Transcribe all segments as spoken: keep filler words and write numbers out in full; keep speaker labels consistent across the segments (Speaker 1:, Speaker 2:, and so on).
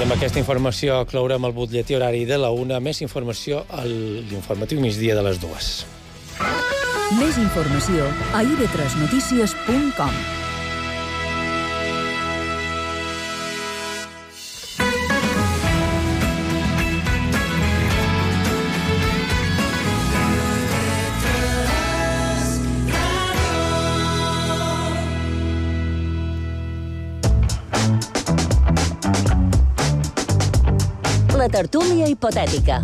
Speaker 1: I amb aquesta informació clourem el butlletí horari de la una. Més informació a l'informatiu migdia de les dues.
Speaker 2: Més informació a i ve tres notícies punt com.
Speaker 3: La tertúlia hipotètica.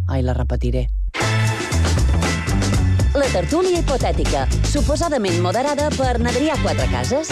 Speaker 3: Ai, la repetiré. La tertúlia hipotètica, suposadament moderada per Adrià Quatrecases.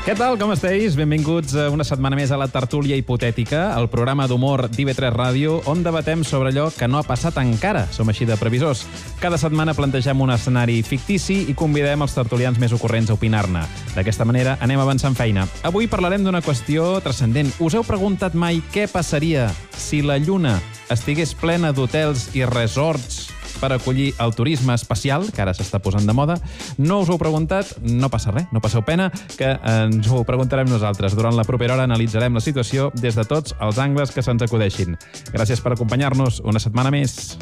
Speaker 4: Què tal, com esteu? Benvinguts una setmana més a la tertúlia hipotètica, el programa d'humor d'I ve tres Ràdio, on debatem sobre allò que no ha passat encara. Som així de previsors. Cada setmana plantegem un escenari fictici i convidem els tertulians més ocorrents a opinar-ne. D'aquesta manera anem avançant feina. Avui parlarem d'una qüestió transcendent. Us heu preguntat mai què passaria si la Lluna estigués plena d'hotels i resorts per acollir el turisme espacial, que ara s'està posant de moda? No us ho heu preguntat? No passa res, no passeu pena, que ens ho preguntarem nosaltres. Durant la propera hora analitzarem la situació des de tots els angles que se'ns acudeixin. Gràcies per acompanyar-nos una setmana més.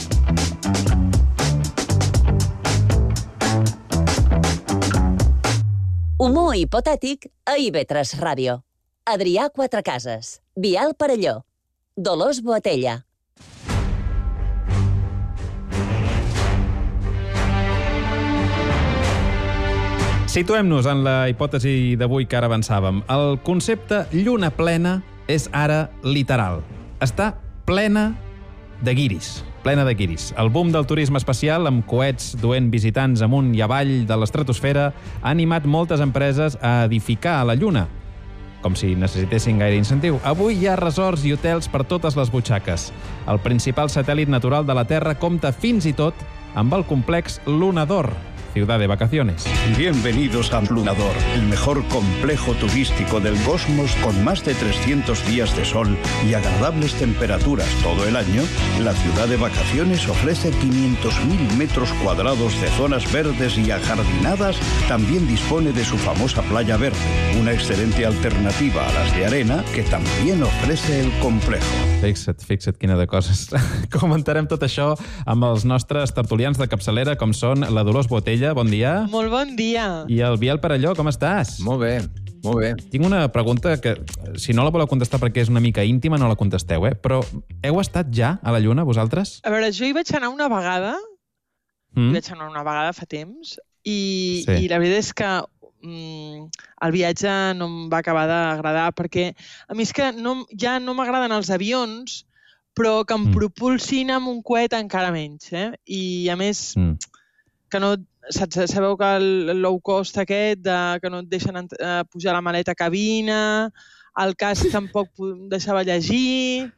Speaker 3: Humor hipotètic a I ve tres Ràdio. Adrià Quatrecases, Biel Parelló, Dolors Boatella.
Speaker 4: Situem-nos en la hipòtesi d'avui que ara avançàvem. El concepte lluna plena és ara literal. Està plena de guiris. Plena de guiris. El boom del turisme espacial, amb coets duent visitants amunt i avall de l'estratosfera, ha animat moltes empreses a edificar a la Lluna, com si necessitessin gaire incentiu. Avui hi ha resorts i hotels per totes les butxaques. El principal satèl·lit natural de la Terra compta fins i tot amb el complex Lunador, ciudad de vacaciones.
Speaker 5: Bienvenidos a Lunador, el mejor complejo turístico del cosmos con más de trescientos días de sol y agradables temperaturas todo el año. La ciudad de vacaciones ofrece quinientos mil metros cuadrados de zonas verdes y ajardinadas. También dispone de su famosa playa verde, una excelente alternativa a las de arena que también ofrece el complejo.
Speaker 4: Fixa't, fixa't quina de coses. Comentarem tot això amb els nostres tertulians de capçalera, com són la Dolors Boatella. Bon dia.
Speaker 6: Molt bon dia.
Speaker 4: I el Biel Parelló, com estàs?
Speaker 7: Molt bé, molt bé.
Speaker 4: Tinc una pregunta que, si no la voleu contestar perquè és una mica íntima, no la contesteu, eh? Però heu estat ja a la Lluna, vosaltres?
Speaker 6: A veure, jo hi vaig anar una vegada,
Speaker 4: Mm?
Speaker 6: hi vaig anar una vegada fa temps, i,
Speaker 4: Sí.
Speaker 6: i la veritat és que mm, el viatge no em va acabar d'agradar, perquè a mi és que no, ja no m'agraden els avions, però que em
Speaker 4: Mm.
Speaker 6: propulsin amb un coet encara menys, eh? I a més,
Speaker 4: Mm.
Speaker 6: que no... Saps, sabeu que el low cost aquest, de, que no et deixen ent- eh, pujar la maleta a cabina, el casc tampoc pu- deixava llegir,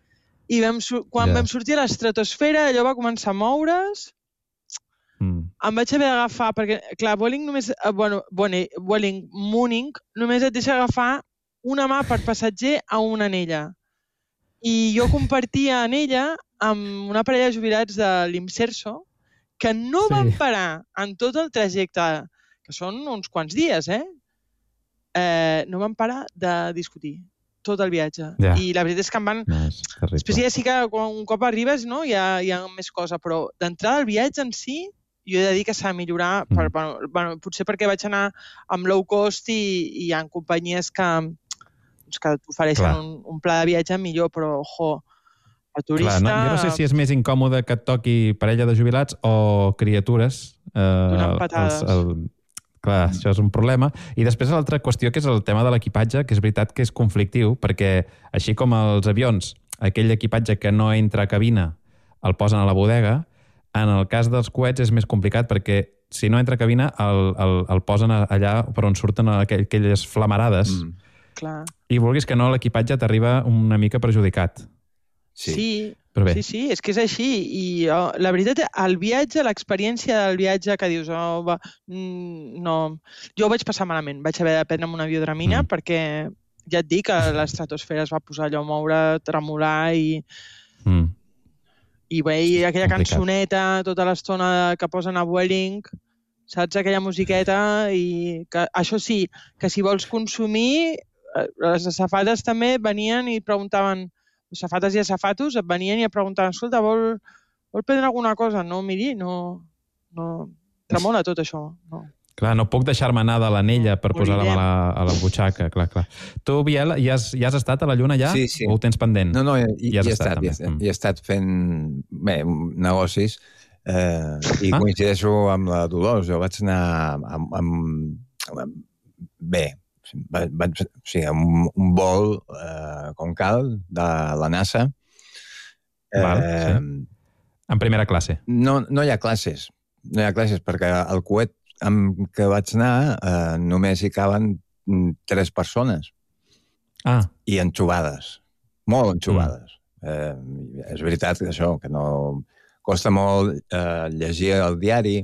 Speaker 6: i vam, sur- quan
Speaker 4: Ja.
Speaker 6: vam sortir a l'estratosfera, allò va començar a moure's,
Speaker 4: Mm.
Speaker 6: em vaig haver d'agafar, perquè, clar, Vueling només, eh, bueno, bueno, Vueling Mooning només et deixa agafar una mà per passatger a una anella. I jo compartia anella amb una parella de jubilats de l'Imserso, que no
Speaker 4: Sí.
Speaker 6: van parar en tot el trajecte, que són uns quants dies, eh? eh no van parar de discutir tot el viatge.
Speaker 4: Ja.
Speaker 6: I la veritat és que em van...
Speaker 4: No, és terrible.
Speaker 6: Després ja sí que quan un cop arribes, no, hi ha, hi ha més cosa, però d'entrada al viatge en si, jo he de dir que s'ha de millorar, per,
Speaker 4: Mm.
Speaker 6: bueno, bueno, potser perquè vaig anar amb low cost i, i hi ha companyies que, doncs, que t'ofereixen
Speaker 4: Clar.
Speaker 6: un, un pla de viatge millor, però, ojo, el turista...
Speaker 4: Clar, no, jo no sé si és més incòmode que et toqui parella de jubilats o criatures. Eh,
Speaker 6: Donant patades.
Speaker 4: el, clar, això és un problema. I després l'altra qüestió, que és el tema de l'equipatge, que és veritat que és conflictiu, perquè així com els avions, aquell equipatge que no entra a cabina el posen a la bodega, en el cas dels coets és més complicat, perquè si no entra a cabina el, el, el posen allà per on surten aquell, aquelles flamarades. Mm.
Speaker 6: Clar.
Speaker 4: I vulguis que no, l'equipatge t'arriba una mica perjudicat.
Speaker 6: Sí. sí.
Speaker 4: Però bé.
Speaker 6: Sí, sí, és que és així. I oh, la veritat, el viatge, l'experiència del viatge que dius, oh, va, mm, no... Jo ho vaig passar malament. Vaig haver de prendre un avió Dramina mm. perquè, ja et dic, que l'estratosfera es va posar allò a moure, tremolar i...
Speaker 4: Mm.
Speaker 6: I veia aquella
Speaker 4: Complicat.
Speaker 6: cançoneta tota l'estona que posen a Vueling, saps? Aquella musiqueta i... Que, això sí, que si vols consumir les asafates també venien i preguntaven, les asafates i asafatos et venien i et preguntaven, escolta, vol, vol prendre alguna cosa? No, miri, no, no tremola tot això. No.
Speaker 4: Clar, no puc deixar-me anar de l'anella per posar-la a la, a la butxaca, clar, clar. Tu, Biel, ja has, ja has estat a la Lluna ja?
Speaker 7: Sí, sí.
Speaker 4: O ho tens pendent?
Speaker 7: No, no, hi,
Speaker 4: ja
Speaker 7: hi, he, estat, hi, he, hi he estat fent bé, negocis eh, i ah? coincideixo amb la Dolors. Jo vaig anar amb, amb, amb bé, vaig, vaig, o sigui, un, un vol eh, com cal de la NASA.
Speaker 4: Val,
Speaker 7: eh,
Speaker 4: sí. En primera classe?
Speaker 7: No, no hi ha classes. No hi ha classes perquè el coet amb què vaig anar eh, només hi caben tres persones.
Speaker 4: Ah.
Speaker 7: I enxugades. Molt enxugades. Mm. Eh, és veritat que això, que no... Costa molt eh, llegir el diari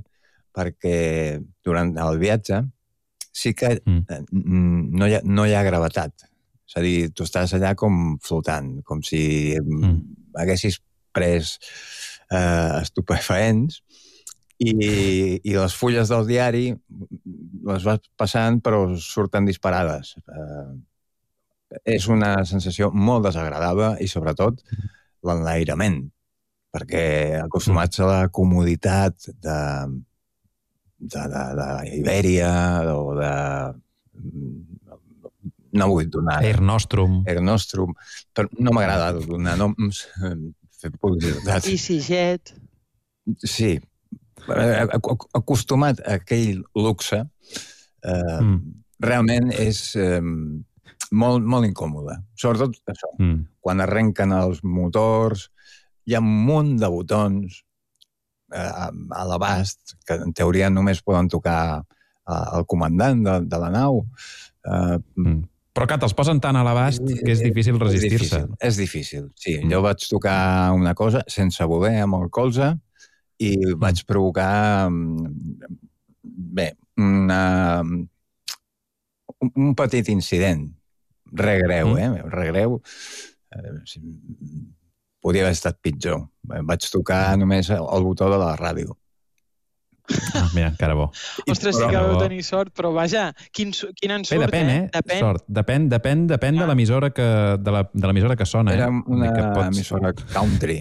Speaker 7: perquè durant el viatge sí que eh, no, hi ha, no hi ha gravetat. És a dir, tu estàs allà com flotant, com si mm. haguessis pres eh, estupefaents i, i les fulles del diari les vas passant però surten disparades. Eh, és una sensació molt desagradable i sobretot l'enlairament, perquè acostumats a la comoditat de, de, de, de Ibèria o de... No vull donar...
Speaker 4: Air Nostrum.
Speaker 7: Air Nostrum. Però no m'agrada donar noms, fer publicitat.
Speaker 6: EasyJet.
Speaker 7: Sí. Acostumat a aquell luxe, eh, mm. realment és eh, molt, molt incòmode. Sobretot això. Mm. Quan arrenquen els motors, hi ha un munt de botons eh, a l'abast que en teoria només poden tocar eh, el comandant de, de la nau. Eh, mm.
Speaker 4: Però que te'ls posen tan a l'abast que és difícil resistir-se.
Speaker 7: És, és difícil, sí. Mm. Jo vaig tocar una cosa sense voler amb el colze i mm. vaig provocar bé, una, un petit incident. Re greu, mm. eh? Re greu. Eh, podria haver estat pitjor. Vaig tocar només el botó de la ràdio.
Speaker 4: Ah, mira, encara bo.
Speaker 6: Ostres, sí que vau tenir sort, però vaja, quin, quin ensurt,
Speaker 4: Bé, depèn, eh?
Speaker 6: Depèn.
Speaker 4: Sort. Depèn, depèn, depèn ah. de l'emissora que, de la, de l'emissora que sona.
Speaker 7: Era
Speaker 4: eh?
Speaker 7: una
Speaker 4: que pots...
Speaker 7: emissora country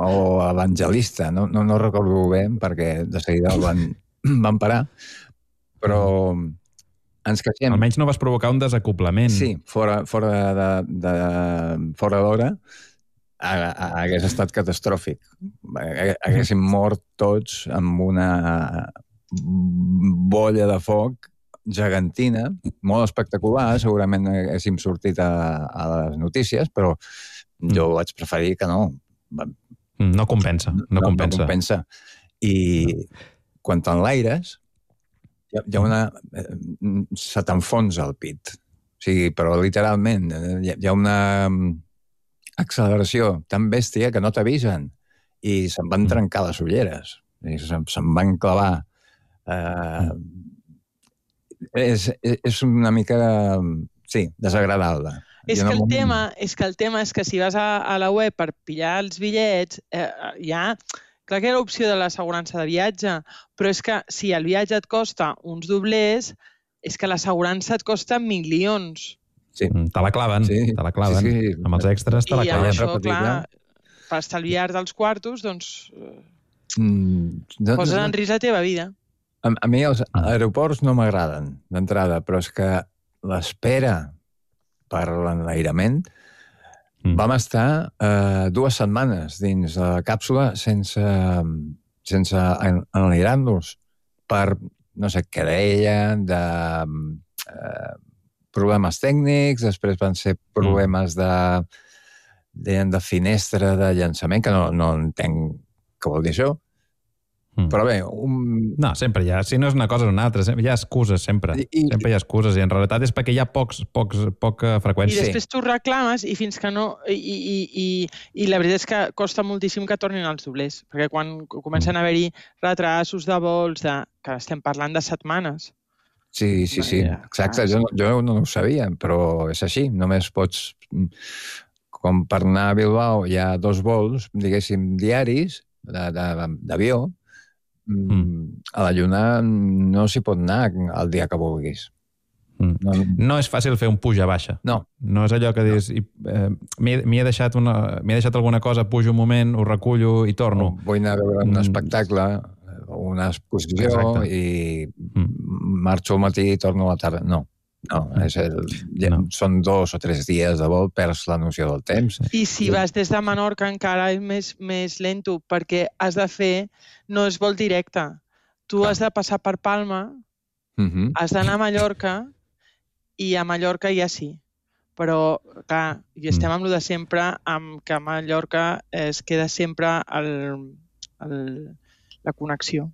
Speaker 7: o evangelista, no, no, no recordo bé perquè de seguida el van, van parar, però ens queixem.
Speaker 4: Almenys no vas provocar un desacoblament.
Speaker 7: Sí, fora, fora de, de, fora d'hora hagués estat catastròfic. Haguéssim mort tots amb una bolla de foc gegantina, molt espectacular, segurament haguéssim sortit a, a les notícies, però jo vaig preferir que no.
Speaker 4: No compensa, no, no compensa.
Speaker 7: No compensa. I quan t'enlaires, hi ha una... se t'enfonsa el pit. O sigui, però literalment, hi ha una acceleració tan bèstia que no t'avisen i se'n van trencar les ulleres. Se'n se'n van clavar. Uh, és, és una mica, sí, desagradable.
Speaker 6: És que, el tema, és que el tema és que si vas a, a la web per pillar els bitllets, eh, ja... Clar que era l'opció de l'assegurança de viatge, però és que si el viatge et costa uns doblers, és que l'assegurança et costa milions.
Speaker 7: Sí.
Speaker 4: Te la claven, sí. te la claven. Sí, sí. Amb els extras te la claven.
Speaker 6: I això, clar, per estalviar dels quartos, doncs, mm, no, poses en risc la teva vida.
Speaker 7: A, a mi els aeroports no m'agraden, d'entrada, però és que l'espera per l'enlairament mm. vam estar eh, dues setmanes dins la càpsula sense, sense enlairar-nos per, no sé què deien, de... Eh, problemes tècnics, després van ser problemes de, de, de finestra de llançament, que no, no entenc què vol dir això. Mm. Però bé... Un...
Speaker 4: No, sempre hi ha. Si no és una cosa o una altra, hi ha excuses, sempre. I, sempre hi ha excuses, i en realitat és perquè hi ha pocs, pocs, poca freqüència.
Speaker 6: I després tu reclames i fins que no... I, i, i, i la veritat és que costa moltíssim que tornin els doblers, perquè quan comencen a haver-hi retrasos de vols, de, que estem parlant de setmanes.
Speaker 7: Sí, sí, sí, exacte. Jo, jo no ho sabia, però és així. Només pots... Com per anar a Bilbao hi ha dos vols, diguéssim, diaris, d'avió. Mm. A la Lluna no s'hi pot anar el dia que vulguis.
Speaker 4: Mm. No, no és fàcil fer un puja-baixa.
Speaker 7: No.
Speaker 4: No és allò que dius, eh, m'hi he, deixat una, m'hi he deixat alguna cosa, pujo un moment, ho recullo i torno.
Speaker 7: O vull anar a veure un espectacle, una exposició, exacte, i mm. marxo al matí i torno a la tarda. No. No, és el, ja, no, són dos o tres dies de vol, perds la noció del temps.
Speaker 6: I si vas des de Menorca encara és més, més lento, perquè has de fer, no és vol directe. Tu ah. has de passar per Palma, uh-huh. has d'anar a Mallorca, i a Mallorca ja sí. Però, clar, i estem amb lo de sempre, amb que a Mallorca es queda sempre el, el, la connexió.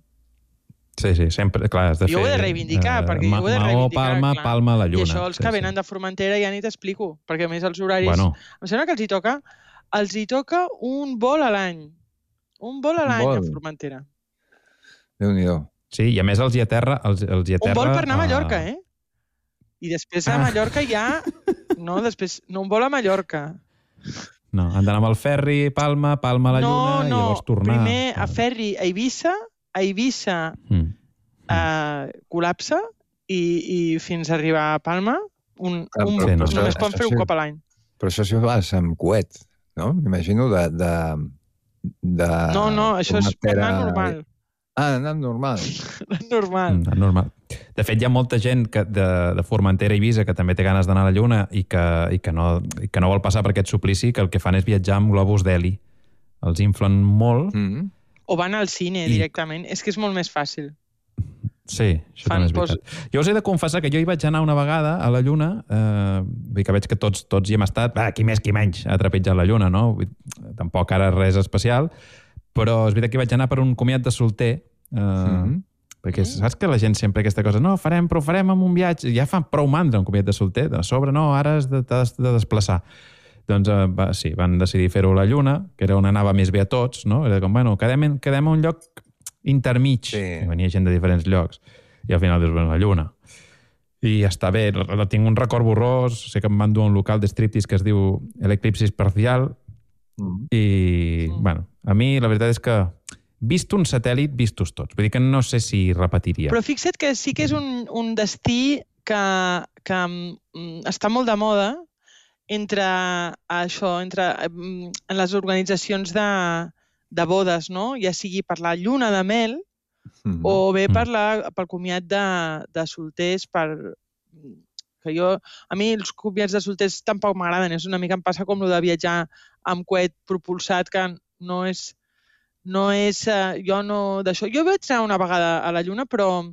Speaker 4: Sí, sí, sempre, clar, has de
Speaker 6: jo
Speaker 4: fer...
Speaker 6: Jo ho he de reivindicar, uh, perquè jo ho he de reivindicar.
Speaker 4: Maó, Palma, clar. Palma, la Lluna.
Speaker 6: I això els que sí, venen sí. de Formentera ja ni t'explico, perquè a més els horaris...
Speaker 4: Bueno.
Speaker 6: Em sembla que els hi toca, els hi toca un vol a l'any. Un vol a l'any a Formentera.
Speaker 7: Déu-n'hi-do.
Speaker 4: Sí, i a més els hi aterra... Els, els hi aterra
Speaker 6: un vol per anar a Mallorca, eh? I després a Mallorca ja... No, després... No, un vol a Mallorca.
Speaker 4: No, han d'anar amb el ferri, Palma, Palma a la
Speaker 6: no,
Speaker 4: Lluna,
Speaker 6: no.
Speaker 4: i llavors tornar...
Speaker 6: No, no, primer a ferri a Eivissa, a Eivissa mm. uh, col·lapsa i, i fins a arribar a Palma un,
Speaker 7: ah,
Speaker 6: un,
Speaker 7: sí, no,
Speaker 6: només poden fer un cop a l'any.
Speaker 7: Però això si ho vas amb coet, no? M'imagino de, de, de...
Speaker 6: No, no, això és per anar normal.
Speaker 7: Ah, anar normal.
Speaker 6: normal.
Speaker 4: Mm, normal. De fet, hi ha molta gent que de, de Formentera i Eivissa que també té ganes d'anar a la Lluna i que, i, que no, i que no vol passar per aquest suplici, que el que fan és viatjar amb globus d'heli. Els inflen molt...
Speaker 7: Mm-hmm.
Speaker 6: O van al cine I... directament. És que és molt més fàcil.
Speaker 4: Sí, això Fan, també és veritat. Pos... Jo us he de confessar que jo hi vaig anar una vegada a la Lluna, eh, vull dir que veig que tots, tots hi hem estat, ah, qui més qui menys ha trepitjat la Lluna, no? Vull dir, tampoc ara res especial, però és veritat que hi vaig anar per un comiat de solter, eh, mm-hmm. perquè saps que la gent sempre aquesta cosa, no, farem, però ho farem amb un viatge, ja fan prou mandra un comiat de solter, de sobre no, ara has de, de, de desplaçar. Doncs eh, va, sí, van decidir fer-ho a la Lluna, que era on anava més bé a tots, no? Era com, bueno, quedem, quedem a un lloc intermig. Sí. Venia gent de diferents llocs. I al final dius, bueno, la Lluna. I està bé, tinc un record borrós, sé que em van dur a un local de striptease que es diu l'Eclipsis Parcial, mm. i, mm. bueno, a mi la veritat és que vist un satèl·lit, vistos tots. Vull dir que no sé si repetiria.
Speaker 6: Però fixa't que sí que és un, un destí que, que um, està molt de moda, entre això, entre en les organitzacions de, de bodes, no? Ja sigui per la lluna de mel mm-hmm. o bé per la, pel comiat de, de solters, per, que jo, a mi els comiats de solters tampoc m'agraden, és una mica em passa com el de viatjar amb coet propulsat, que no és, no és, jo no, d'això, jo vaig anar una vegada a la lluna, però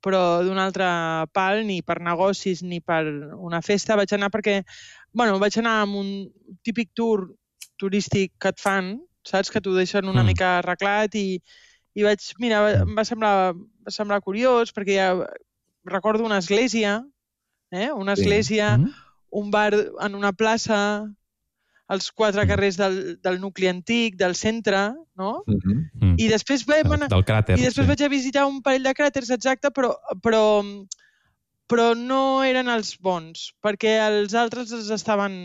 Speaker 6: però d'un altre pal, ni per negocis ni per una festa, vaig anar perquè, bueno, vaig anar amb un típic tour turístic que et fan, saps? Que t'ho deixen una mm. mica arreglat i, i vaig, mira, em va semblar, va semblar curiós perquè ja recordo una església, eh? Una església, sí. mm. un bar en una plaça, els quatre carrers del, del nucli antic, del centre, no? Mm-hmm. I després, vam anar,
Speaker 4: del cràter,
Speaker 6: i després
Speaker 4: sí.
Speaker 6: vaig a visitar un parell de cràters, exacte, però, però, però no eren els bons, perquè els altres els estaven,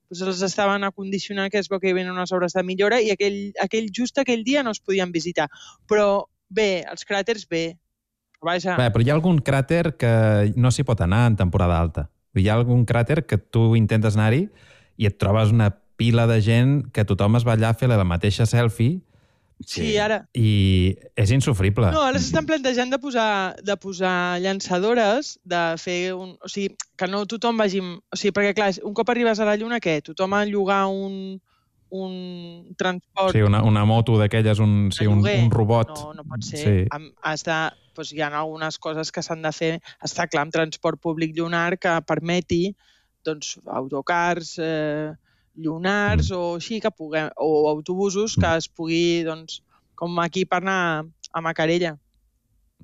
Speaker 6: doncs els estaven acondicionant, que es veu que hi havia unes obres de millora, i aquell, aquell, just aquell dia no es podien visitar. Però bé, els cràters bé. Vaja.
Speaker 4: Bé, però hi ha algun cràter que no s'hi pot anar en temporada alta. Hi ha algun cràter que tu intentes anar-hi i et trobes una pila de gent que tothom es va allà a fer la mateixa selfie.
Speaker 6: Sí, ara.
Speaker 4: I és insufrible.
Speaker 6: No, ara s'estan plantejant de posar, de posar llançadores, de fer un... O sigui, que no tothom vagi... O sigui, perquè, clar, un cop arribes a la Lluna, què? Tothom a llogar un, un transport...
Speaker 4: Sí, una, una moto d'aquelles, un, sí, un, un robot.
Speaker 6: No, no pot ser.
Speaker 4: Sí.
Speaker 6: Has de... Doncs hi ha algunes coses que s'han de fer. Està clar, amb transport públic lunar que permeti doncs, autocars eh, lunars mm. o així, que puguem, o autobusos que es pugui, doncs, com aquí per anar a Macarella.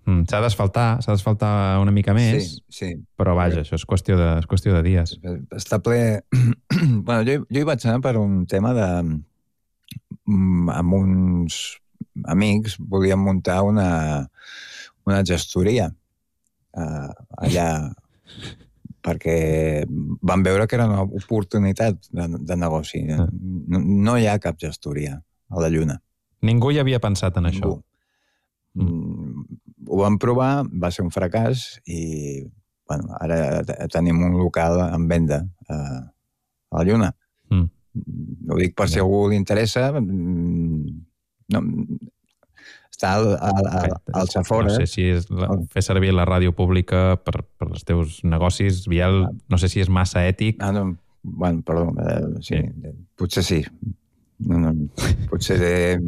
Speaker 4: Mm, s'ha d'asfaltar, s'ha d'asfaltar una mica més,
Speaker 7: sí, sí.
Speaker 4: Però vaja, això és qüestió de, és qüestió de dies.
Speaker 7: Està ple... bueno, jo, jo hi vaig anar per un tema de... amb uns amics volíem muntar una, una gestoria uh, allà... perquè van veure que era una oportunitat de, de negoci. No, no hi ha cap gestoria a la Lluna.
Speaker 4: Ningú hi havia pensat en
Speaker 7: Ningú. Això. Mm. Ho vam provar, va ser un fracàs, i bueno, ara tenim un local en venda a, a la Lluna. Mm. Ho dic per si algú li interessa. No, està al, al, al, al Safora.
Speaker 4: No sé si és la, fer servir la ràdio pública per, per els teus negocis, Biel, no sé si és massa ètic.
Speaker 7: Ah, no, bueno, perdó, eh, sí, sí. Potser sí. No, no, potser... Eh,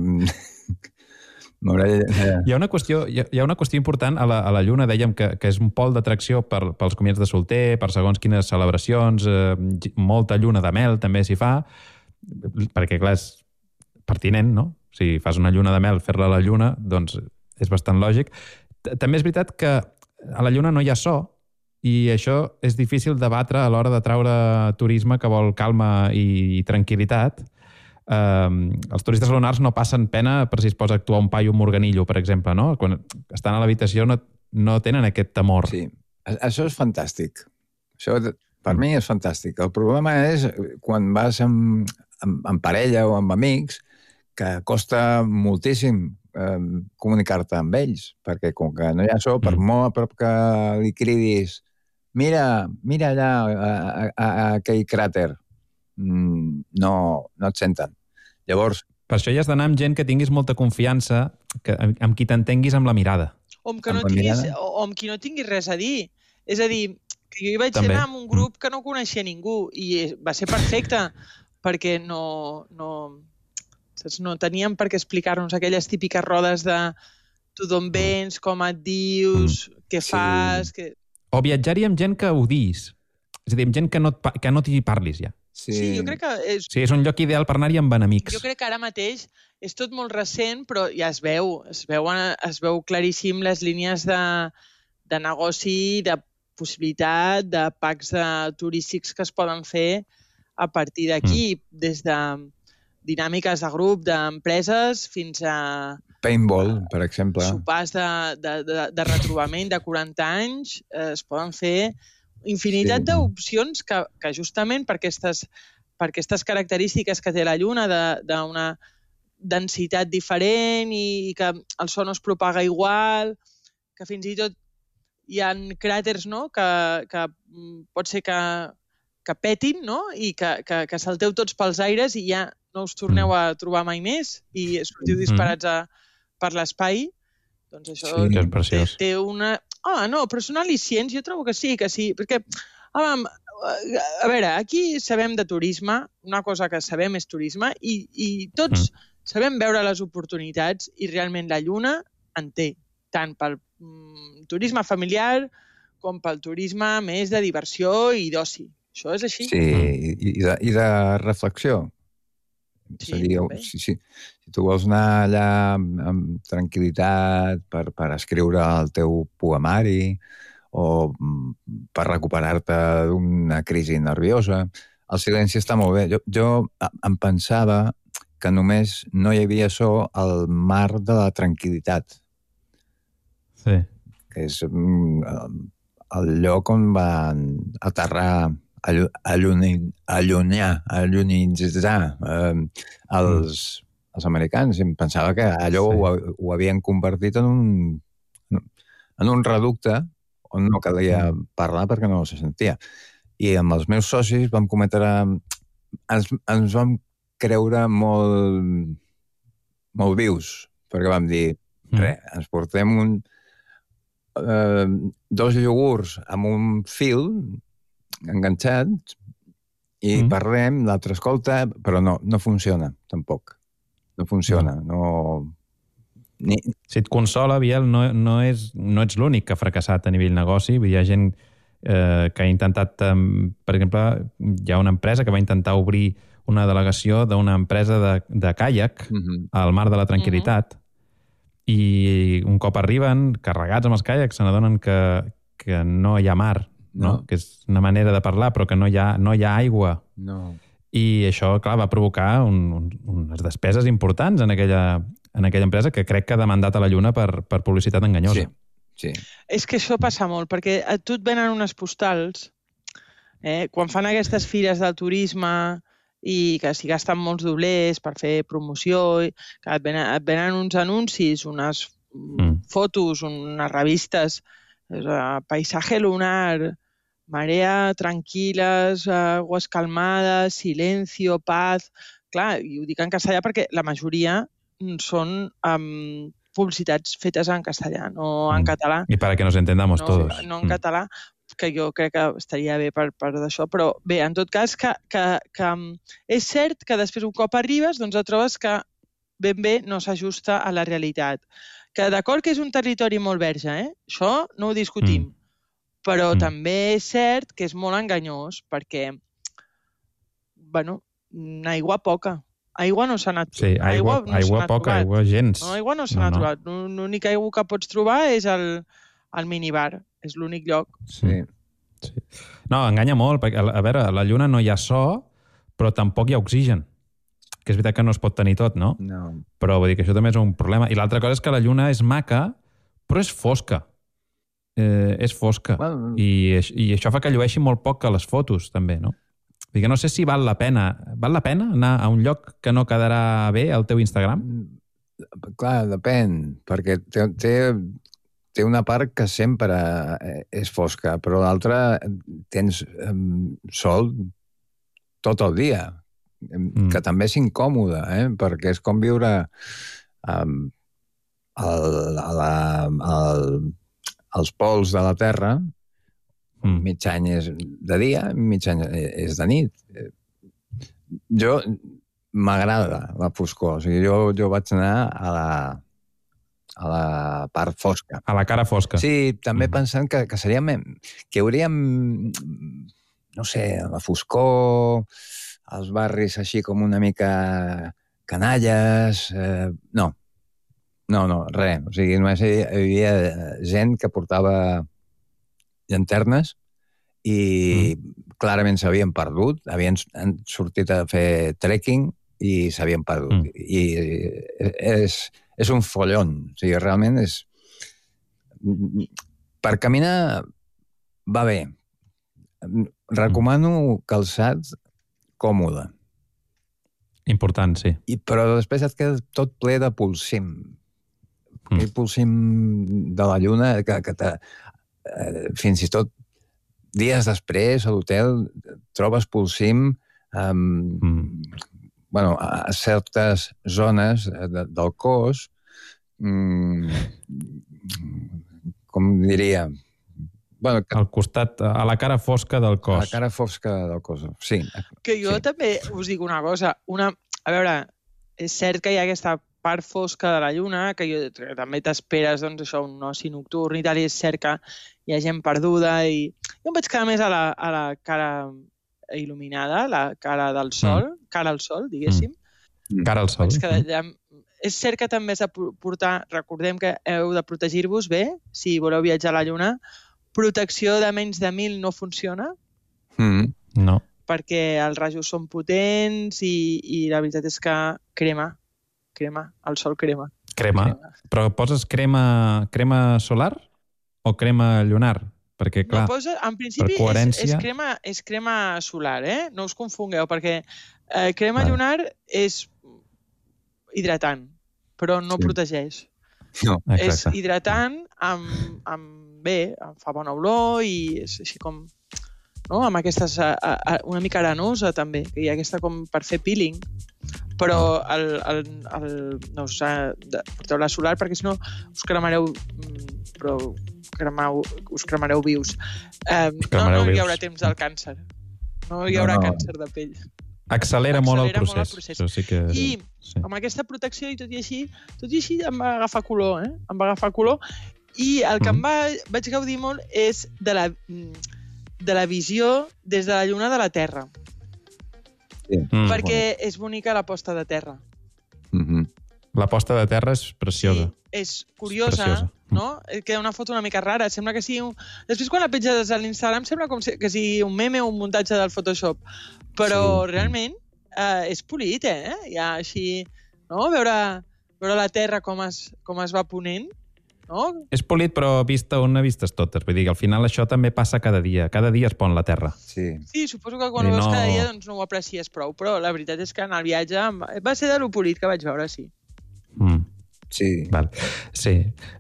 Speaker 4: Hi ha una qüestió, hi ha una qüestió important a la, a la Lluna, dèiem que, que és un pol d'atracció per, pels comiats de solter, per segons quines celebracions, eh, molta lluna de mel també s'hi fa, perquè clar, és pertinent, no? Si fas una lluna de mel, fer-la a la Lluna, doncs és bastant lògic. També és veritat que a la Lluna no hi ha so, i això és difícil de batre a l'hora de traure turisme que vol calma i tranquil·litat. Uh, els turistes lunars no passen pena per si es posa a actuar un paio, un morganillo, per exemple, no? Quan estan a l'habitació no, no tenen aquest temor.
Speaker 7: Sí, això és fantàstic. Això, per mi, és fantàstic. El problema és quan vas amb, amb, amb parella o amb amics, que costa moltíssim eh, comunicar-te amb ells, perquè com que no hi ha so, per mm. molt a prop que li cridis mira, mira allà a, a, a, a aquell cràter, mm, no, no et senten. Llavors...
Speaker 4: Per això hi has d'anar amb gent que tinguis molta confiança, que, amb qui t'entenguis amb la mirada.
Speaker 6: O amb, que no tinguis, o amb qui no tinguis res a dir. És a dir, que jo hi vaig També. anar amb un grup que no coneixia ningú i va ser perfecte, perquè no, no, saps, no teníem per què explicar-nos aquelles típiques rodes de tu d'on vens, com et dius, mm. què fas...
Speaker 4: Sí.
Speaker 6: Que...
Speaker 4: O viatjar-hi amb gent que odiïs. És a dir, amb gent que no, que no t'hi parlis ja.
Speaker 6: Sí. sí, jo crec que... És...
Speaker 4: Sí, és un lloc ideal per anar-hi amb enemics.
Speaker 6: Jo crec que ara mateix és tot molt recent, però ja es veu, es veu, es veu claríssim les línies de, de negoci, de possibilitat, de packs de turístics que es poden fer a partir d'aquí, mm. des de dinàmiques de grup, d'empreses, fins a...
Speaker 7: Paintball, per exemple.
Speaker 6: Sopars de, de, de, de retrobament de quaranta anys, eh, es poden fer... infinitat sí. d'opcions que, que justament per aquestes, per aquestes característiques que té la Lluna d'una densitat diferent i que el so no es propaga igual, que fins i tot hi ha cràters, no?, que, que pot ser que, que petin, no?, i que, que, que salteu tots pels aires i ja no us torneu a trobar mai més i sortiu disparats a, per l'espai. Doncs això
Speaker 4: sí, té,
Speaker 6: té una... Ah, no, però són al·licients, jo trobo que sí, que sí, perquè, home, a veure, aquí sabem de turisme, una cosa que sabem és turisme, i, i tots mm. sabem veure les oportunitats, i realment la Lluna en té, tant pel mm, turisme familiar com pel turisme més de diversió i d'oci. Això és així.
Speaker 7: Sí, i, i, de, i de reflexió. Sí, dir, si, si, si tu vols anar allà amb, amb tranquil·litat per, per escriure el teu poemari o per recuperar-te d'una crisi nerviosa, el silenci està molt bé. Jo, jo em pensava que només no hi havia so al mar de la tranquil·litat.
Speaker 4: Sí.
Speaker 7: Que és el lloc on van aterrar allunyar, allunyinitzar eh, els, els americans. Em pensava que allò sí. ho, ho havien convertit en un, en un reducte on no calia parlar perquè no se sentia. I amb els meus socis vam cometre... Ens, ens vam creure molt, molt vius, perquè vam dir, mm. res, ens portem un, eh, dos iogurts amb un fil enganxat i mm. parlem, l'altre escolta, però no, no funciona, tampoc. No funciona, no... no... Ni...
Speaker 4: Si et consola, Biel, no, no, és, no ets l'únic que ha fracassat a nivell negoci. Hi ha gent eh, que ha intentat... Eh, per exemple, hi ha una empresa que va intentar obrir una delegació d'una empresa de, de caiac mm-hmm. al mar de la tranquil·litat mm-hmm. i un cop arriben, carregats amb els caiacs, se n'adonen que, que no hi ha mar. No? No? Que és una manera de parlar, però que no hi ha, no hi ha aigua.
Speaker 7: No.
Speaker 4: I això, clar, va provocar un, un, unes despeses importants en aquella, en aquella empresa que crec que ha demandat a la Lluna per, per publicitat enganyosa.
Speaker 7: Sí, sí.
Speaker 6: És que això passa molt, perquè a tu et venen unes postals, eh, quan fan aquestes fires del turisme i que s'hi gasten molts doblers per fer promoció, que et venen, et venen uns anuncis, unes mm. fotos, unes revistes Uh, paisaje lunar, marea tranquil·les, uh, aguas calmades, silencio, paz... Clar, i ho dic en castellà perquè la majoria són um, publicitats fetes en castellà, no en
Speaker 4: Mm.
Speaker 6: català.
Speaker 4: Y para que nos entendamos
Speaker 6: no,
Speaker 4: todos.
Speaker 6: No en català, que jo crec que estaria bé per, per d'això, però bé, en tot cas, que, que, que és cert que després un cop arribes, doncs et trobes que ben bé no s'ajusta a la realitat. Que d'acord que és un territori molt verge, eh? Això no ho discutim, mm. però
Speaker 4: Mm.
Speaker 6: també és cert que és molt enganyós perquè, bueno, aigua poca. Aigua no s'ha anat...
Speaker 4: Sí, aigua,
Speaker 6: no
Speaker 4: aigua poca,
Speaker 6: trobat.
Speaker 4: aigua gens.
Speaker 6: No, aigua no s'ha
Speaker 4: No,
Speaker 6: no,
Speaker 4: no.
Speaker 6: trobat. L'únic aigua que pots trobar és el, el minibar. És l'únic lloc.
Speaker 7: Sí.
Speaker 4: Sí. No, enganya molt, perquè, a veure, a la Lluna no hi ha so, però tampoc hi ha oxigen. Que és veritat que no es pot tenir tot, no?
Speaker 7: No.
Speaker 4: Però vull dir que això també és un problema. I l'altra cosa és que la Lluna és maca, però és fosca. Eh, és fosca.
Speaker 7: Bueno,
Speaker 4: I, I això fa que llueixi molt poc a les fotos, també, no? Vull dir que no sé si val la pena. Val la pena anar a un lloc que no quedarà bé al teu Instagram?
Speaker 7: clar, depèn, perquè té, té, té una part que sempre és fosca, però l'altra tens um, sol tot el dia, mm. que també és incòmode, eh? Perquè és com viure um, el, a la, el, als pols de la Terra, mm. mig any és de dia, mig any és de nit. Jo m'agrada la foscor, o sigui, jo, jo vaig anar a la, a la part fosca.
Speaker 4: A la cara fosca.
Speaker 7: Sí, també mm. pensant que, que seríem, que hauríem, no sé, la foscor, els barris així com una mica canalles, eh, no, no, no, res. O sigui, només hi havia gent que portava llanternes i mm. clarament s'havien perdut, havien sortit a fer trekking i s'havien perdut. Mm. I és, és un follon. O sigui, realment és... Per caminar va bé. Recomano calçat còmode.
Speaker 4: Important, sí.
Speaker 7: I, però després et queda tot ple de polsim. Mm. Aquell polsim de la lluna que, que te, eh, fins i tot dies després a l'hotel trobes polsim um, mm. bueno, a certes zones de, del cos, um, com diria... Bueno, que,
Speaker 4: al costat, a la cara fosca del cos.
Speaker 7: A la cara fosca del cos, sí.
Speaker 6: Que jo
Speaker 7: sí.
Speaker 6: també us dic una cosa. Una, a veure, és cert que hi ha aquesta part fosca de la lluna, que, jo, que també t'esperes, doncs, això, un oci nocturn i tal, i és cert que hi ha gent perduda, i jo em vaig quedar més a la, a la cara il·luminada, la cara del sol, mm. cara al sol, diguéssim.
Speaker 4: Mm. Cara al sol.
Speaker 6: Allà, és cert que també has de portar, recordem que heu de protegir-vos bé, si voleu viatjar a la lluna, protecció de menys de mil no funciona.
Speaker 7: Mm.
Speaker 4: No.
Speaker 6: Perquè els rajos són potents i, i la veritat és que crema, crema, el sol crema.
Speaker 4: Crema? crema. Però poses crema, crema solar o crema lunar? Perquè, clar,
Speaker 6: no, posa, en principi
Speaker 4: coherència...
Speaker 6: és, és, crema, és crema solar, eh? No us confongueu, perquè eh, crema vale. lunar és hidratant, però no sí. protegeix.
Speaker 7: No.
Speaker 6: És hidratant amb, amb bé, em fa bona olor i és així com, no? Amb aquestes, a, a, una mica arenosa també, que hi ha aquesta com per fer peeling, però el, el, el, no us porteu la solar perquè si no us cremareu, però cremau, us cremareu vius. Eh, us cremareu no, no vius. Hi haurà temps del càncer. No hi haurà no, no. càncer de pell.
Speaker 4: Accelera, Accelera molt el procés.
Speaker 6: Molt el procés.
Speaker 4: Sí que...
Speaker 6: I
Speaker 4: sí.
Speaker 6: amb aquesta protecció i tot i així, tot i així em va agafar color, eh? Em va agafar color. I el que mm. em va, vaig gaudir molt és de la, de la visió des de la lluna de la Terra.
Speaker 7: Sí.
Speaker 6: Mm. Perquè és bonica la posta de terra.
Speaker 7: Mm-hmm.
Speaker 4: La posta de terra és preciosa.
Speaker 6: Sí, és curiosa, és preciosa. No? Queda una foto una mica rara. Sembla que sigui un... Després, quan la penges a l'Instagram, sembla com que sigui un meme o un muntatge del Photoshop. Però sí. realment eh, és polit, eh? Ja així, no? Veure, veure la terra com es, com es va ponent. No?
Speaker 4: És polit, però vista una, vistes totes. Vull dir que al final això també passa cada dia. Cada dia es pon la terra.
Speaker 7: Sí,
Speaker 6: sí suposo que quan ho veus no... cada dia doncs no ho aprecies prou, però la veritat és que en el viatge va ser de lo polit que vaig veure, sí.
Speaker 4: Mm.
Speaker 7: Sí.
Speaker 4: Val. Sí.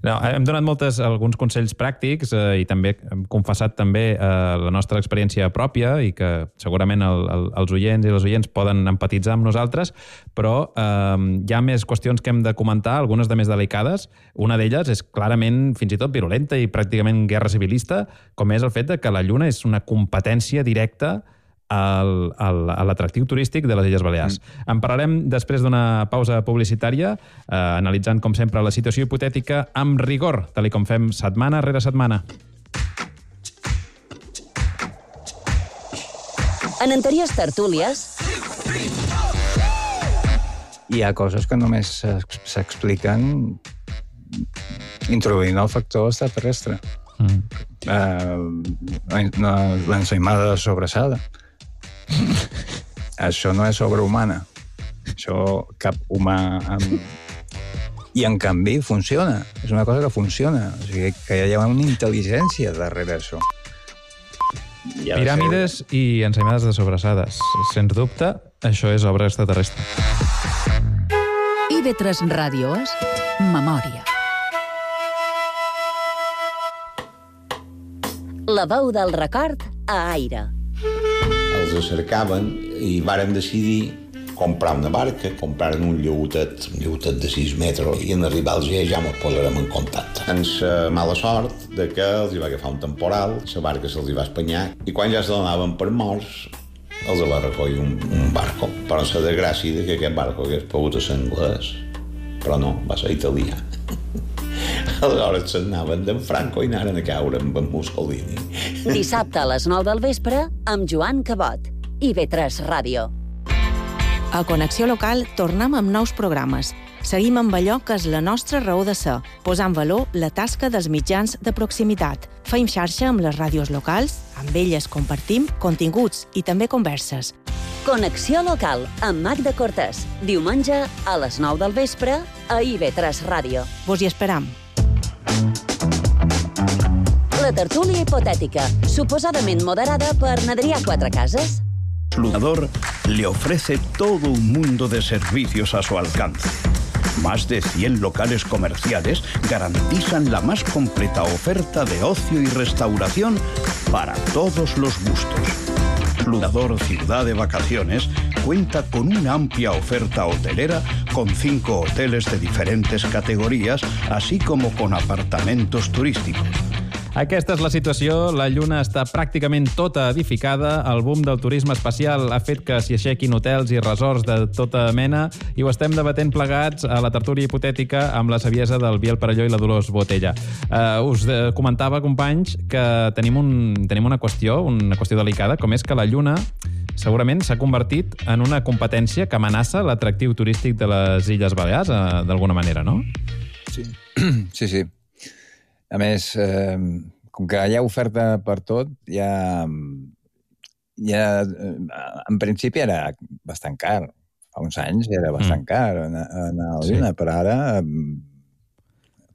Speaker 4: No, hem donat moltes, alguns consells pràctics eh, i també hem confessat també eh, la nostra experiència pròpia i que segurament el, el, els oients i les oients poden empatitzar amb nosaltres, però eh, hi ha més qüestions que hem de comentar, algunes de més delicades. Una d'elles és clarament fins i tot virulenta i pràcticament guerra civilista, com és el fet de que la Lluna és una competència directa al, al, a l'atractiu turístic de les Illes Balears. Mm. En parlarem després d'una pausa publicitària, eh, analitzant, com sempre, la situació hipotètica amb rigor, tal com fem setmana rere setmana.
Speaker 3: En anteriors tertúlies...
Speaker 7: Hi ha coses que només s'expliquen introduint el factor extraterrestre. Mm. Uh, l'ensaïmada sobrassada. Això no és obra humana. Això cap humà... Amb... I, en canvi, funciona. És una cosa que funciona. O sigui, que hi ha una intel·ligència darrere això.
Speaker 4: Piràmides ser... i ensaïmades de sobrassades. Sens dubte, això és obra extraterrestre.
Speaker 2: I ve tres Ràdio és memòria.
Speaker 3: La veu del record a Aire.
Speaker 8: Els cercaven i varen decidir comprar una barca, comprar un llautet, un llautet de sis metres, i en arribar al G ja ens posarem en contacte. Ens uh, mala sort de que els hi va agafar un temporal, la barca se'ls hi va espanyar, i quan ja se donaven per morts, els va recollir un, un barco. Però la desgràcia de que aquest barco hagués pogut ser anglès, però no, va ser italià. Aleshores s'anaven d'en Franco i anaren a caure amb en Mussolini.
Speaker 3: Dissabte a les nou del vespre amb Joan Cabot. I ve tres Ràdio.
Speaker 9: A Connexió Local tornem amb nous programes. Seguim amb allò que és la nostra raó de ser, posant en valor la tasca dels mitjans de proximitat. Feim xarxa amb les ràdios locals, amb elles compartim continguts i també converses.
Speaker 3: Connexió Local amb Magda Cortés. Diumenge a les nou del vespre a I ve tres Ràdio.
Speaker 9: Vos hi esperam.
Speaker 3: La tertúlia hipotètica, suposadament moderada per Adrià Quatrecases.
Speaker 5: Lunador le ofrece todo un mundo de servicios a su alcance. Más de cien locales comerciales garantizan la más completa oferta de ocio y restauración para todos los gustos. Lunador Ciudad de Vacaciones cuenta con una amplia oferta hotelera con cinco hoteles de diferentes categorías, así como con apartamentos turísticos.
Speaker 4: Aquesta és la situació. La Lluna està pràcticament tota edificada. El boom del turisme espacial ha fet que s'hi aixequin hotels i resorts de tota mena i ho estem debatent plegats a la tertúlia hipotètica amb la saviesa del Biel Parelló i la Dolors Botella. Uh, us uh, comentava, companys, que tenim, un, tenim una qüestió, una qüestió delicada, com és que la Lluna segurament s'ha convertit en una competència que amenaça l'atractiu turístic de les Illes Balears, uh, d'alguna manera, no?
Speaker 7: Sí, sí, sí. A més, eh, com que hi ha oferta per tot, ja, ja, en principi era bastant car. Fa uns anys era bastant mm. car anar a la Lluna, sí. Però ara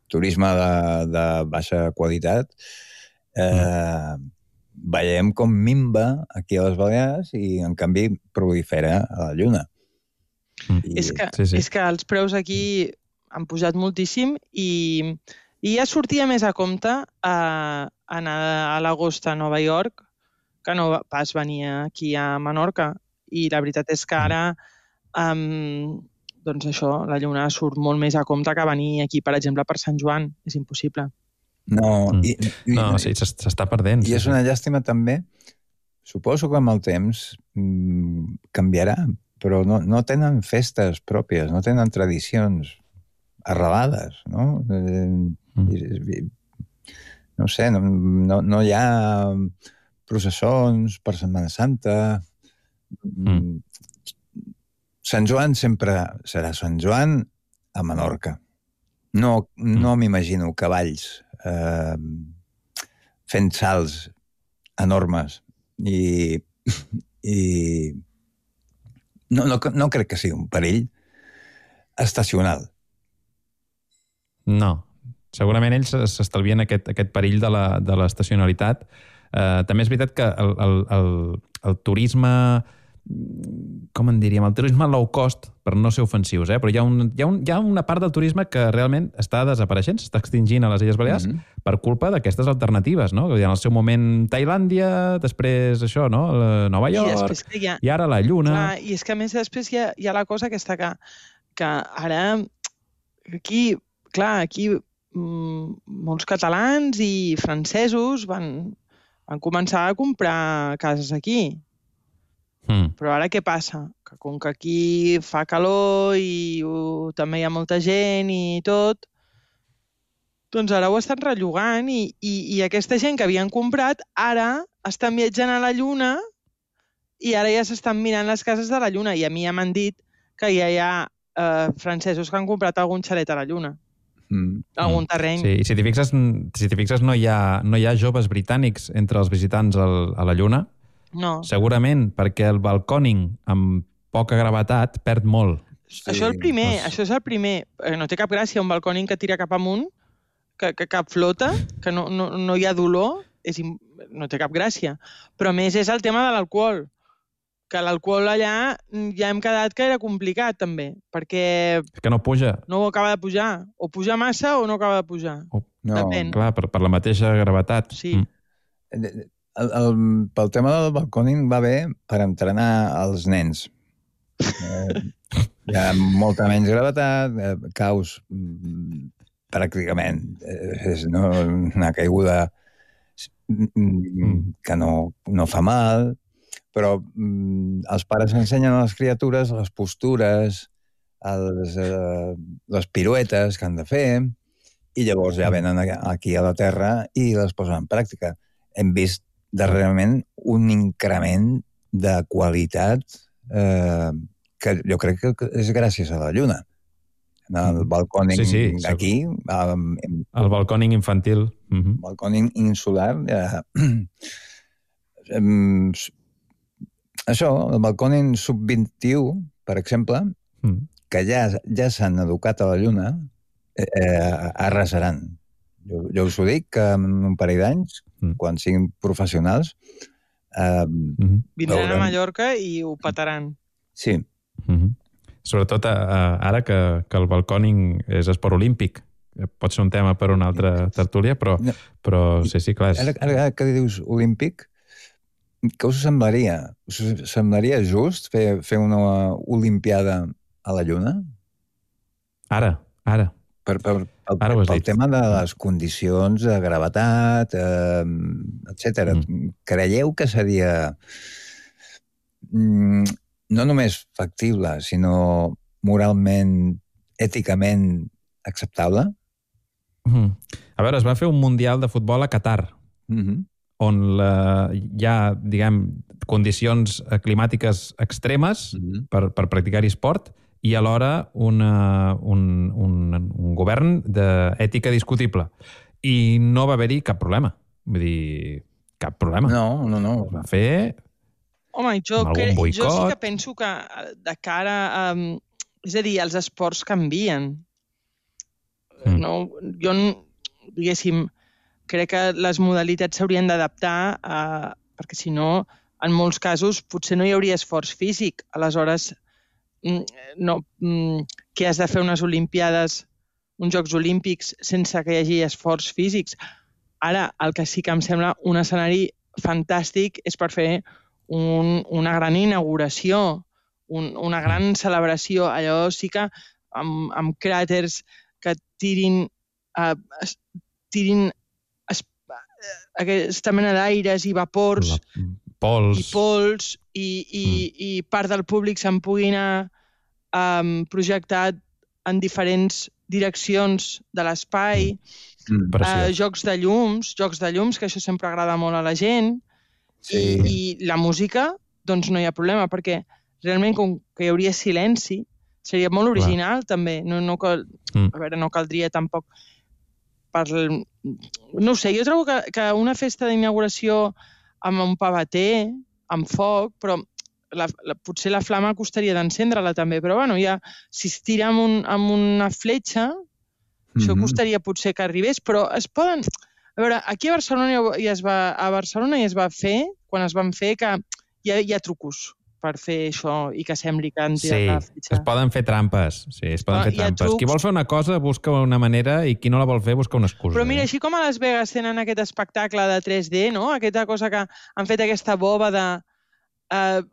Speaker 7: turisme de, de baixa qualitat eh, mm. veiem com minva aquí a les Balears i, en canvi, prolifera a la Lluna.
Speaker 6: Mm. I, és, que, sí, sí. és que els preus aquí han pujat moltíssim i... I ja sortia més a compte a anar a l'agost a Nova York que no pas venir aquí a Menorca. I la veritat és que ara, um, doncs això, la Lluna surt molt més a compte que venir aquí, per exemple, per Sant Joan. És impossible.
Speaker 7: No, i, i,
Speaker 4: no sí, s'està perdent.
Speaker 7: I és una llàstima també. Suposo que amb el temps mm, canviarà, però no, no tenen festes pròpies, no tenen tradicions arrelades, no? Mm. No sé, no, no, no hi ha processons per Setmana Santa. Mm. Sant Joan sempre serà Sant Joan a Menorca. No, no mm. m'imagino cavalls eh, fent salts enormes i, i no, no, no crec que sigui un perill estacional.
Speaker 4: No. Segurament ells s'estalvien aquest, aquest perill de la, de l'estacionalitat. Eh, també és veritat que el, el, el, el turisme com en diríem, el turisme low cost, per no ser ofensius, eh? però hi ha, un, hi, ha un, hi ha una part del turisme que realment està desapareixent, s'està extingint a les Illes Balears mm-hmm. per culpa d'aquestes alternatives, no? En el seu moment Tailàndia, després això, no? Nova York, i, ha... i ara la Lluna...
Speaker 6: Clar, i és que a més després hi ha, hi ha la cosa aquesta que, que ara aquí, clar, aquí mmm, molts catalans i francesos van, van començar a comprar cases aquí. Mm. Però ara què passa? Que com que aquí fa calor i uh, també hi ha molta gent i tot, doncs ara ho estan rellogant i, i, i aquesta gent que havien comprat ara estan viatjant a la Lluna i ara ja s'estan mirant les cases de la Lluna i a mi ja m'han dit que ja hi ha eh, francesos que han comprat algun xalet a la Lluna. Mm. Algun terreny.
Speaker 4: Sí, i si t'hi fixes, si t'hi fixes no, hi ha, no hi ha joves britànics entre els visitants al, a la Lluna.
Speaker 6: No.
Speaker 4: Segurament perquè el balcòning amb poca gravetat perd molt.
Speaker 6: Sí. Això, el primer, doncs... això és el primer. No té cap gràcia un balcòning que tira cap amunt, que, que cap flota, que no, no, no hi ha dolor, és, no té cap gràcia. Però a més és el tema de l'alcohol, que l'alcohol allà ja hem quedat que era complicat també, perquè...
Speaker 4: És que no puja.
Speaker 6: No acaba de pujar. O puja massa o no acaba de pujar.
Speaker 4: O... No, depèn. Clar, per, per la mateixa gravetat.
Speaker 6: Sí.
Speaker 7: Mm. El, el, pel tema del balcòning va bé per entrenar els nens. Eh, hi ha molta menys gravetat, eh, caus pràcticament eh, és no, una caiguda mm. que no, no fa mal, però mm, els pares ensenyen a les criatures les postures, els, eh, les piruetes que han de fer, i llavors ja venen aquí a la Terra i les posen en pràctica. Hem vist darrerament un increment de qualitat eh, que jo crec que és gràcies a la Lluna. El balcòning sí, sí, d'aquí... Um,
Speaker 4: el balcòning infantil.
Speaker 7: El uh-huh. balcòning insular. Eh, um, això, el balcòning sub vint-i-u, per exemple, uh-huh. que ja, ja s'han educat a la Lluna, eh, arrasaran. Jo, jo us ho dic, que en un parell d'anys, mm. quan siguin professionals... Eh, mm-hmm.
Speaker 6: Vindran veurem... a Mallorca i ho petaran.
Speaker 7: Sí.
Speaker 4: Mm-hmm. Sobretot uh, ara que, que el balcòning és esport olímpic. Pot ser un tema per una altra tertúlia, però, no. però sí, sí, clar. És...
Speaker 7: Ara, ara que dius olímpic, què us semblaria? Us semblaria just fer, fer una olimpiada a la Lluna?
Speaker 4: Ara, ara.
Speaker 7: Per, per, per, per, pel tema de les condicions de gravetat, eh, etcètera. Mm. Creieu que seria mm, no només factible, sinó moralment, èticament acceptable?
Speaker 4: Mm. A veure, es va fer un Mundial de futbol a Qatar, mm-hmm. on la, hi ha, diguem, condicions climàtiques extremes mm-hmm. per, per practicar-hi esport, i alhora una, un, un, un govern d'ètica discutible. I no va haver-hi cap problema. Vull dir, cap problema.
Speaker 7: No, no, no.
Speaker 4: Es va fer...
Speaker 6: Home, jo, que, jo sí que penso que de cara a... És a dir, els esports canvien. Mm. No, jo, diguéssim, crec que les modalitats s'haurien d'adaptar a... perquè si no, en molts casos, potser no hi hauria esforç físic. Aleshores... no, que has de fer unes olimpiades, uns Jocs Olímpics sense que hi hagi esforç físics. Ara, el que sí que em sembla un escenari fantàstic és per fer un, una gran inauguració, un, una gran celebració. Allò sí que amb, amb cràters que tirin, uh, tirin es, aquesta mena d'aires i vapors
Speaker 4: pols.
Speaker 6: i pols i, i, mm. i part del públic se'n pugui anar um, projectat en diferents direccions de l'espai, mm. uh, jocs de llums, jocs de llums, que això sempre agrada molt a la gent, sí. i, i la música, doncs no hi ha problema, perquè realment com que hi hauria silenci, seria molt original Clar. també, no, no, cal, mm. a veure, no caldria tampoc per... No ho sé, jo trobo que, que una festa d'inauguració amb un pavater, amb foc, però la, la, potser la flama costaria d'encendre-la també, però bueno, ja, si es tira amb, un, amb una fletxa, mm-hmm. això costaria potser que arribés, però es poden... A veure, aquí a Barcelona ja es va, a Barcelona ja es va fer, quan es van fer, que hi ha, hi ha trucos. per fer això i que sembli que han
Speaker 4: Sí,
Speaker 6: tirat la fitxa.
Speaker 4: es poden fer trampes. Sí, es poden
Speaker 6: Ah,
Speaker 4: fer
Speaker 6: hi ha
Speaker 4: trampes.
Speaker 6: trucs.
Speaker 4: Qui vol fer una cosa busca una manera i qui no la vol fer busca una excusa.
Speaker 6: Però mira,
Speaker 4: eh?
Speaker 6: així com a Las Vegas tenen aquest espectacle de tres D, no? Aquesta cosa que han fet aquesta boba de... Eh,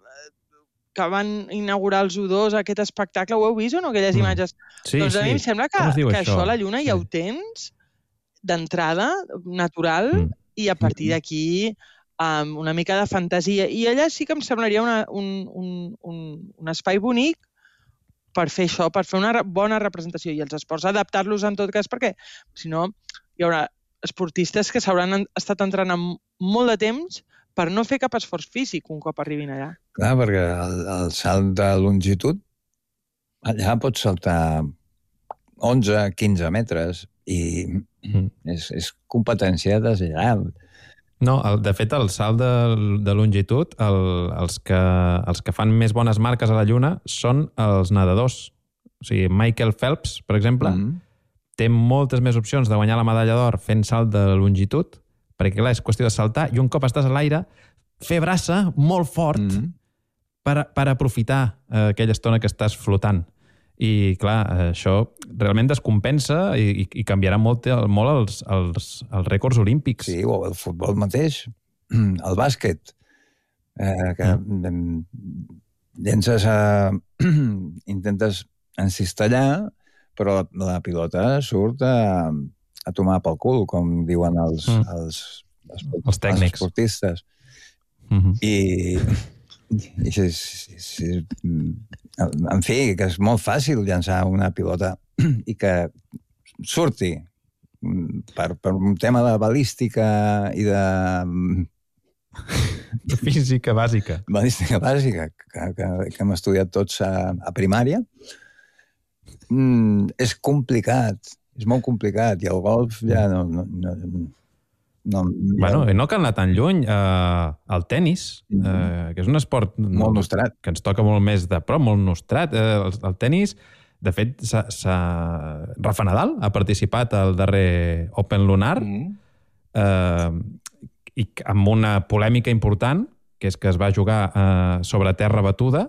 Speaker 6: que van inaugurar els U dos, aquest espectacle, ho heu vist o no, aquelles
Speaker 4: Mm.
Speaker 6: imatges?
Speaker 4: Sí,
Speaker 6: doncs a
Speaker 4: sí.
Speaker 6: mi em sembla que,
Speaker 4: Com es diu
Speaker 6: que
Speaker 4: això?
Speaker 6: això a la Lluna ja
Speaker 4: Sí.
Speaker 6: ho tens d'entrada, natural,
Speaker 4: Mm.
Speaker 6: i a partir d'aquí um, una mica de fantasia. I allà sí que em semblaria una, un, un, un, un espai bonic per fer això, per fer una re- bona representació. I els esports, adaptar-los en tot cas, perquè si no hi haurà esportistes que s'hauran en- estat entrenant molt de temps per no fer cap esforç físic un cop arribin allà.
Speaker 7: Clar, perquè el, el salt de longitud, allà pots saltar onze, quinze metres i
Speaker 4: Mm.
Speaker 7: és, és competència deslleial.
Speaker 4: No, el, de fet, el salt de, de longitud, el, els, que, els que fan més bones marques a la Lluna són els nedadors. O sigui, Michael Phelps, per exemple,
Speaker 7: Mm.
Speaker 4: té moltes més opcions de guanyar la medalla d'or fent salt de longitud, perquè, clar, és qüestió de saltar i un cop estàs a l'aire, fer braça molt fort
Speaker 7: Mm.
Speaker 4: per, per aprofitar eh, aquella estona que estàs flotant. I, clar, això realment descompensa i, i, i canviarà molt, molt els, els, els rècords olímpics.
Speaker 7: Sí, o el futbol mateix, el bàsquet, eh, que mm. llences a... intentes encistellar, però la, la pilota surt a, a tomar pel cul, com diuen els,
Speaker 4: Mm.
Speaker 7: els, els,
Speaker 4: Els tècnics.
Speaker 7: esportistes.
Speaker 4: Mm-hmm.
Speaker 7: I, i sí, sí, sí, en fi, que és molt fàcil llançar una pilota i que surti per, per un tema de balística i de
Speaker 4: Física bàsica.
Speaker 7: balística bàsica que, que, que hem estudiat tots a, a primària. Mm, és complicat, és molt complicat, i el golf ja no... no, no, no
Speaker 4: Bueno, i no cal anar tan lluny. Uh, el tennis, uh, que és un esport
Speaker 7: molt nostrat.
Speaker 4: que ens toca molt més de prop, molt nostrat. Uh, el, el tennis, de fet, s'ha, s'ha... Rafa Nadal ha participat al darrer Open Lunar,
Speaker 7: Mm.
Speaker 4: uh, i amb una polèmica important, que és que es va jugar uh, sobre terra batuda,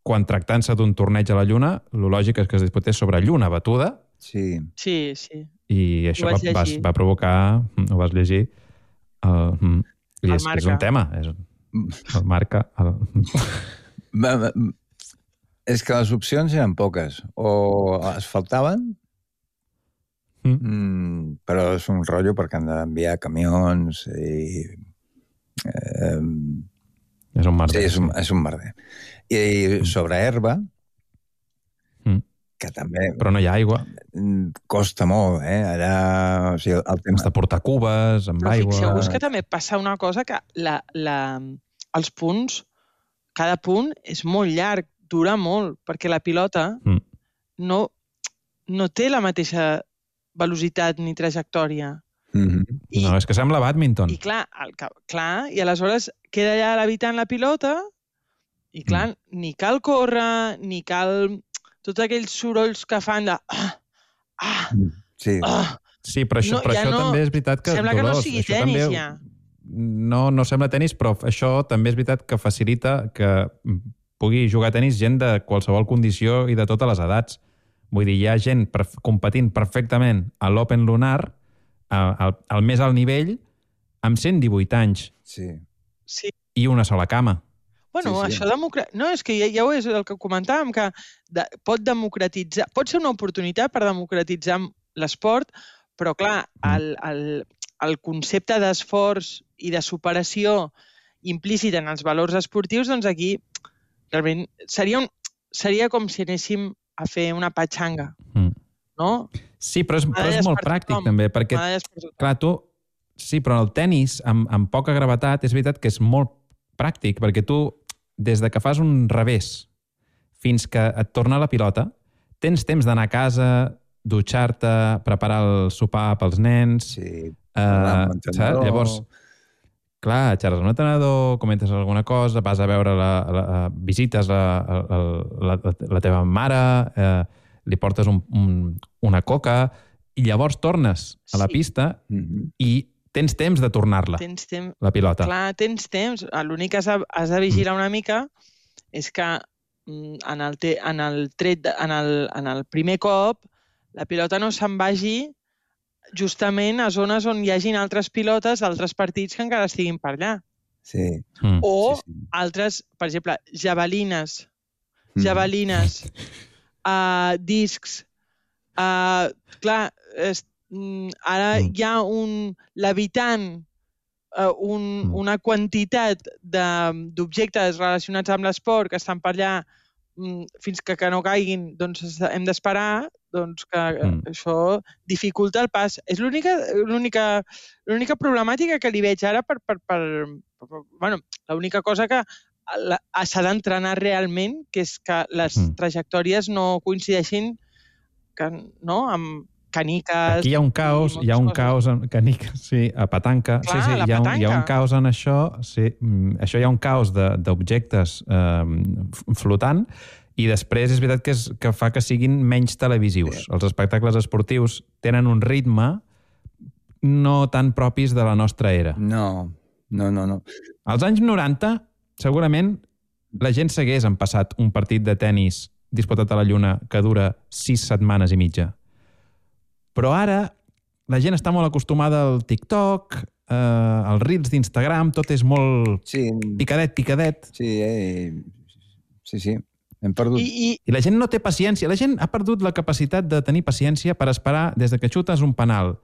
Speaker 4: quan tractant-se d'un torneig a la Lluna, el lògic és que es disputés sobre lluna batuda,
Speaker 7: Sí.
Speaker 6: Sí, sí.
Speaker 4: i això
Speaker 6: Ho
Speaker 4: va,
Speaker 6: vaig
Speaker 4: va,
Speaker 6: llegir.
Speaker 4: va provocar, ho vas llegir, el, mm, i
Speaker 6: El
Speaker 4: és, és
Speaker 6: Marca.
Speaker 4: un tema, és, el marca... El...
Speaker 7: Va, va, és que les opcions eren poques. O es faltaven,
Speaker 4: Mm.
Speaker 7: mm, però és un rotllo perquè han d'enviar camions i... Eh,
Speaker 4: És un merder.
Speaker 7: sí, és un, és un merder. I sobre herba,
Speaker 4: Mm.
Speaker 7: que també
Speaker 4: Però no hi ha aigua.
Speaker 7: mm, costa molt, eh? Allà... O sigui, el tema...
Speaker 4: Has de portar cubes amb
Speaker 6: Però
Speaker 4: aigua...
Speaker 6: fixeu-vos que també passa una cosa, que la, la, els punts, cada punt és molt llarg, dura molt, perquè la pilota
Speaker 4: Mm.
Speaker 6: no, no té la mateixa velocitat ni trajectòria.
Speaker 7: Mm-hmm.
Speaker 6: I,
Speaker 4: No, és que sembla bàdminton.
Speaker 6: i clar, el, que- clar, i aleshores queda allà l'habitant la pilota i clar, mm. ni cal córrer, ni cal tots aquells sorolls que fan de... Ah, ah,
Speaker 7: Sí.
Speaker 6: ah.
Speaker 4: Sí, però això,
Speaker 6: No,
Speaker 4: però
Speaker 6: ja
Speaker 4: això
Speaker 6: no-
Speaker 4: també és veritat que...
Speaker 6: Sembla que no
Speaker 4: Dolors,
Speaker 6: sigui
Speaker 4: això
Speaker 6: tenis,
Speaker 4: també,
Speaker 6: ja.
Speaker 4: No, no sembla tenis, però això també és veritat que facilita que pugui jugar a tenis gent de qualsevol condició i de totes les edats. Vull dir, hi ha gent perf competint perfectament a l'Open Lunar, a, al, al més alt nivell, amb cent divuit anys
Speaker 7: Sí.
Speaker 6: Sí.
Speaker 4: i una sola cama.
Speaker 6: Bueno,
Speaker 7: Sí,
Speaker 6: sí,
Speaker 7: sí.
Speaker 6: sí. això democra... No, és que ja, ja ho és el que comentàvem, que de, pot democratitzar... Pot ser una oportunitat per democratitzar l'esport, però, clar, el, el, el concepte d'esforç i de superació implícit en els valors esportius, doncs aquí realment seria, un, seria com si anéssim a fer una patxanga,
Speaker 4: Mm.
Speaker 6: no?
Speaker 4: Sí, però és, però és
Speaker 6: Medalles
Speaker 4: molt
Speaker 6: per
Speaker 4: pràctic,
Speaker 6: tothom.
Speaker 4: també, perquè
Speaker 6: Medalles per tothom.
Speaker 4: clar, tu... Sí, però el tennis, amb, amb poca gravetat, és veritat que és molt pràctic, perquè tu, des de que fas un revés fins que et torna la pilota, tens temps d'anar a casa, dutxar-te, preparar el sopar pels nens...
Speaker 7: Sí.
Speaker 4: Uh, saps? Llavors, clar, xerres amb l'entrenador, comentes alguna cosa, vas a veure la, la, la visites la, la, la, la teva mare, eh, li portes un, un, una coca, i llavors tornes a la
Speaker 6: Sí.
Speaker 4: pista
Speaker 7: Mm-hmm.
Speaker 4: i tens temps de tornar-la,
Speaker 6: tens temps,
Speaker 4: la pilota.
Speaker 6: Clar, tens temps. L'únic que has de, has de vigilar una mica és que en el, te, en el, tret, en el, en el primer cop la pilota no se'n vagi justament a zones on hi hagin altres pilotes d'altres partits que encara estiguin per allà.
Speaker 7: Sí.
Speaker 4: Mm.
Speaker 6: O
Speaker 7: sí, sí.
Speaker 6: altres, per exemple, javelines, javelines, mm. uh, discs. Uh, clar, es, ara
Speaker 4: Mm.
Speaker 6: hi ha un levitant, uh, un,
Speaker 4: Mm.
Speaker 6: una quantitat d'objectes relacionats amb l'esport que estan per allà um, fins que, que no caiguin, doncs hem d'esperar doncs, que mm. això dificulta el pas. És l'única problemàtica que li veig ara per... per, per, per bueno, l'única cosa que s'ha d'entrenar realment, que és que les mm. trajectòries no coincideixin que, no, amb caniques...
Speaker 4: Aquí hi ha un caos, hi ha un caos en caniques, sí, a petanca.
Speaker 6: Clar,
Speaker 4: sí, sí,
Speaker 6: la
Speaker 4: hi ha, un,
Speaker 6: petanca.
Speaker 4: hi ha un caos en això, sí. Això hi ha un caos d'objectes eh, flotant i després és veritat que, és, que fa que siguin menys televisius. Sí. Els espectacles esportius tenen un ritme no tan propis de la nostra era.
Speaker 7: No, no, no, no.
Speaker 4: Als anys noranta, segurament, la gent s'hagués empassat un partit de tennis disputat a la Lluna que dura sis setmanes i mitja. Però ara la gent està molt acostumada al TikTok, eh, als reels d'Instagram, tot és molt
Speaker 7: sí.
Speaker 4: picadet, picadet.
Speaker 7: Sí, eh, sí, sí, hem perdut.
Speaker 6: I, i...
Speaker 4: I la gent no té paciència. La gent ha perdut la capacitat de tenir paciència per esperar des de que xutes un penal.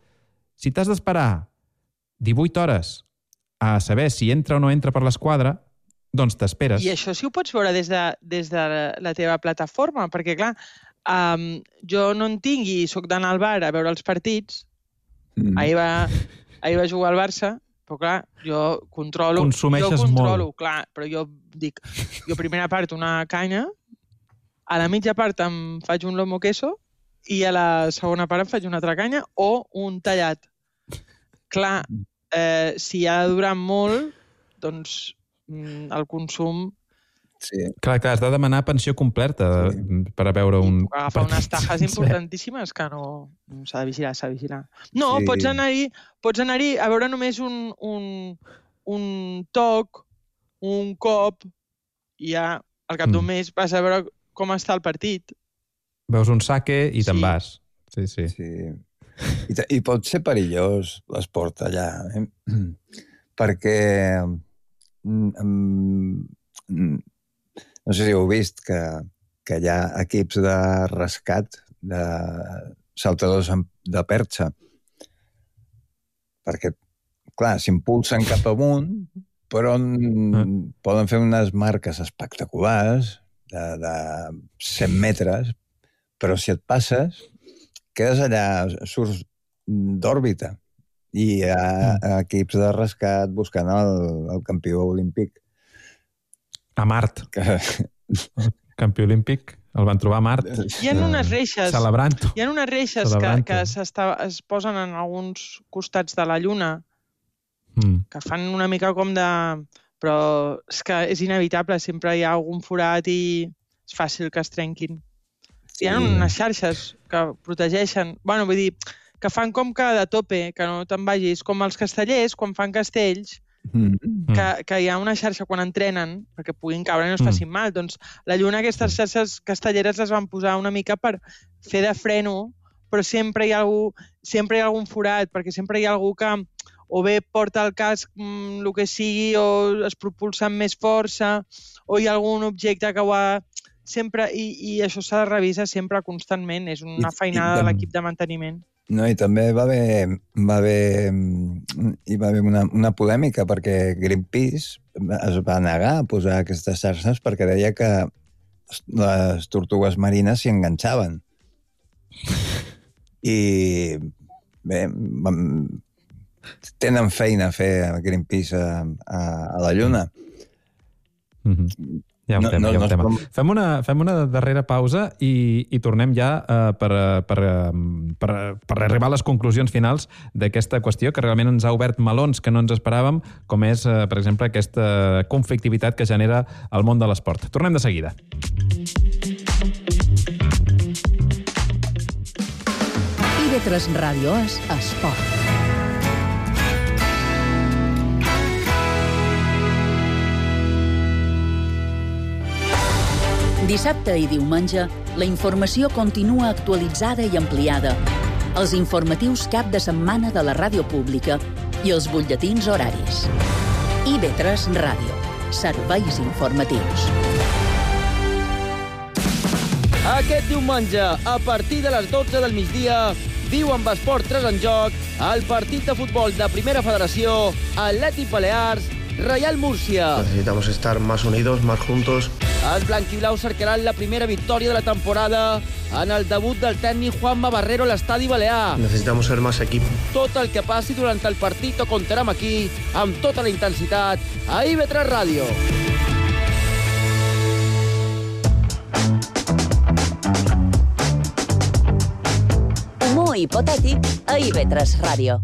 Speaker 4: Si t'has d'esperar divuit hores a saber si entra o no entra per l'esquadra, doncs t'esperes.
Speaker 6: I això sí ho pots veure des de, des de la teva plataforma, perquè, clar, um, jo no en tinc i soc d'anar al bar a veure els partits. Mm. Ahir, va, ahir va jugar al Barça, però, clar, jo controlo...
Speaker 4: Consumeixes
Speaker 6: jo controlo,
Speaker 4: molt.
Speaker 6: Clar, però jo dic, jo primera part una canya, a la mitja part em faig un lomo queso i a la segona part em faig una altra canya o un tallat. Clar, eh, si ha de durar molt, doncs el consum...
Speaker 7: Sí.
Speaker 4: Clar, clar, has de demanar pensió completa sí. per a veure un...
Speaker 6: I puc agafar unes tajes importantíssimes que no... S'ha de vigilar, s'ha de vigilar. No, sí. pots anar-hi pots anar-hi a veure només un, un, un toc, un cop, i ja al cap d'un mm. mes vas a veure com està el partit.
Speaker 4: Veus un saque i sí. te'n vas. Sí, sí.
Speaker 7: sí. I, I pot ser perillós l'esport allà, eh? Perquè... Um, no sé si heu vist que, que hi ha equips de rescat de saltadors de perxa perquè, clar, s'impulsen cap amunt però mm. poden fer unes marques espectaculars de, de cent metres, però si et passes quedes allà, surts d'òrbita i hi ha mm. equips de rescat buscant el, el campió olímpic
Speaker 4: a Mart. Que... El campió olímpic el van trobar a Mart.
Speaker 6: Hi ha unes reixes,
Speaker 4: celebrant-ho.
Speaker 6: Hi ha unes reixes que, que es posen en alguns costats de la Lluna mm. que fan una mica com de... Però és que és inevitable, sempre hi ha algun forat i és fàcil que es trenquin. Sí. Hi ha unes xarxes que protegeixen... Bueno, vull dir, que fan com que de tope, que no te'n vagis, com els castellers, quan fan castells, Mm. Que, que hi ha una xarxa quan entrenen perquè puguin caure i no es facin mm. mal. Doncs la Lluna, aquestes xarxes castelleres les van posar una mica per fer de freno, però sempre hi ha algú, sempre hi ha algun forat, perquè sempre hi ha algú que o bé porta el casc mm, el que sigui, o es propulsa amb més força, o hi ha algun objecte que ho ha... Sempre, i, i això s'ha de revisar sempre constantment, és una feinada de l'equip de manteniment.
Speaker 7: No, i també va haver, va haver, hi va haver una, una polèmica perquè Greenpeace es va negar a posar aquestes xarxes perquè deia que les tortugues marines s'hi enganxaven. I bé, tenen feina a fer a Greenpeace a, a, a la Lluna.
Speaker 4: Mm-hmm. Hi ha un no, tema, no, hi ha un no tema. Com... Fem, una, fem una darrera pausa i, i tornem ja uh, per, per, per, per arribar a les conclusions finals d'aquesta qüestió que realment ens ha obert melons que no ens esperàvem, com és, uh, per exemple, aquesta conflictivitat que genera el món de l'esport. Tornem de seguida.
Speaker 2: I ve tres Ràdio és esport. Dissabte i diumenge, la informació continua actualitzada i ampliada. Els informatius cap de setmana de la ràdio pública i els butlletins horaris. I B tres Ràdio. Serveis informatius.
Speaker 10: Aquest diumenge, a partir de les dotze del migdia, viu amb Esport tres en joc el partit de futbol de Primera Federació, Atlètic Balears, Reial Múrcia.
Speaker 11: Necesitamos estar más unidos, más juntos.
Speaker 10: Els blanquiblaus cercaran la primera victòria de la temporada en el debut del tècnic Juanma Barrero a l'Estadi Balear.
Speaker 11: Necesitamos ser más equipo.
Speaker 10: Tot el que passi durant el partit ho contarem aquí, amb tota la intensitat, a I B tres Ràdio.
Speaker 3: Humor hipotètic a I B tres Ràdio.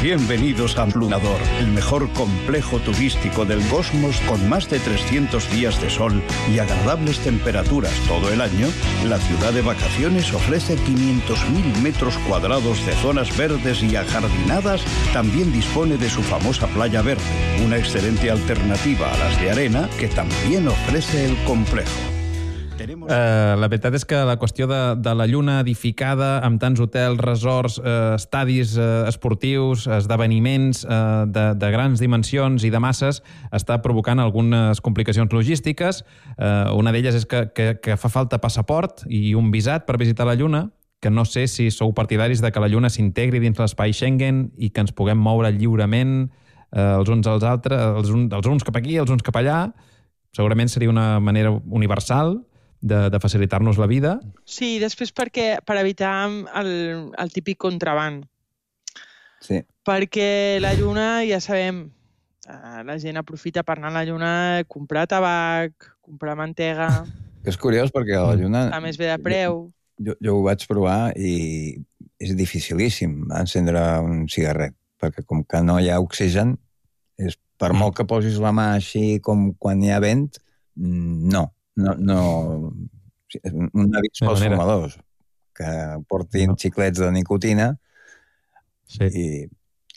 Speaker 5: Bienvenidos a Plunador, el mejor complejo turístico del Cosmos con más de trescientos días de sol y agradables temperaturas todo el año. La ciudad de vacaciones ofrece quinientos mil metros cuadrados de zonas verdes y ajardinadas. También dispone de su famosa playa verde, una excelente alternativa a las de arena que también ofrece el complejo.
Speaker 4: Uh, la veritat és que la qüestió de, de la lluna edificada amb tants hotels, resorts, uh, estadis uh, esportius, esdeveniments uh, de, de grans dimensions i de masses està provocant algunes complicacions logístiques. Uh, una d'elles és que, que, que fa falta passaport i un visat per visitar la lluna, que no sé si sou partidaris de que la lluna s'integri dins l'espai Schengen i que ens puguem moure lliurement uh, els uns als altres, els, un, els uns cap aquí, els uns cap allà. Segurament seria una manera universal de, de facilitar-nos la vida.
Speaker 6: Sí, després perquè, per evitar el, el típic contraban.
Speaker 7: Sí.
Speaker 6: Perquè la lluna, ja sabem, la gent aprofita per anar a la lluna, comprar tabac, comprar mantega...
Speaker 7: És curiós perquè a la lluna...
Speaker 6: Està més bé de preu.
Speaker 7: Jo, jo ho vaig provar i és dificilíssim encendre un cigarret, perquè com que no hi ha oxigen, és, per molt que posis la mà així com quan hi ha vent, no. No, no, un avís pels fumadors que portin no. xiclets de nicotina
Speaker 4: sí.
Speaker 7: i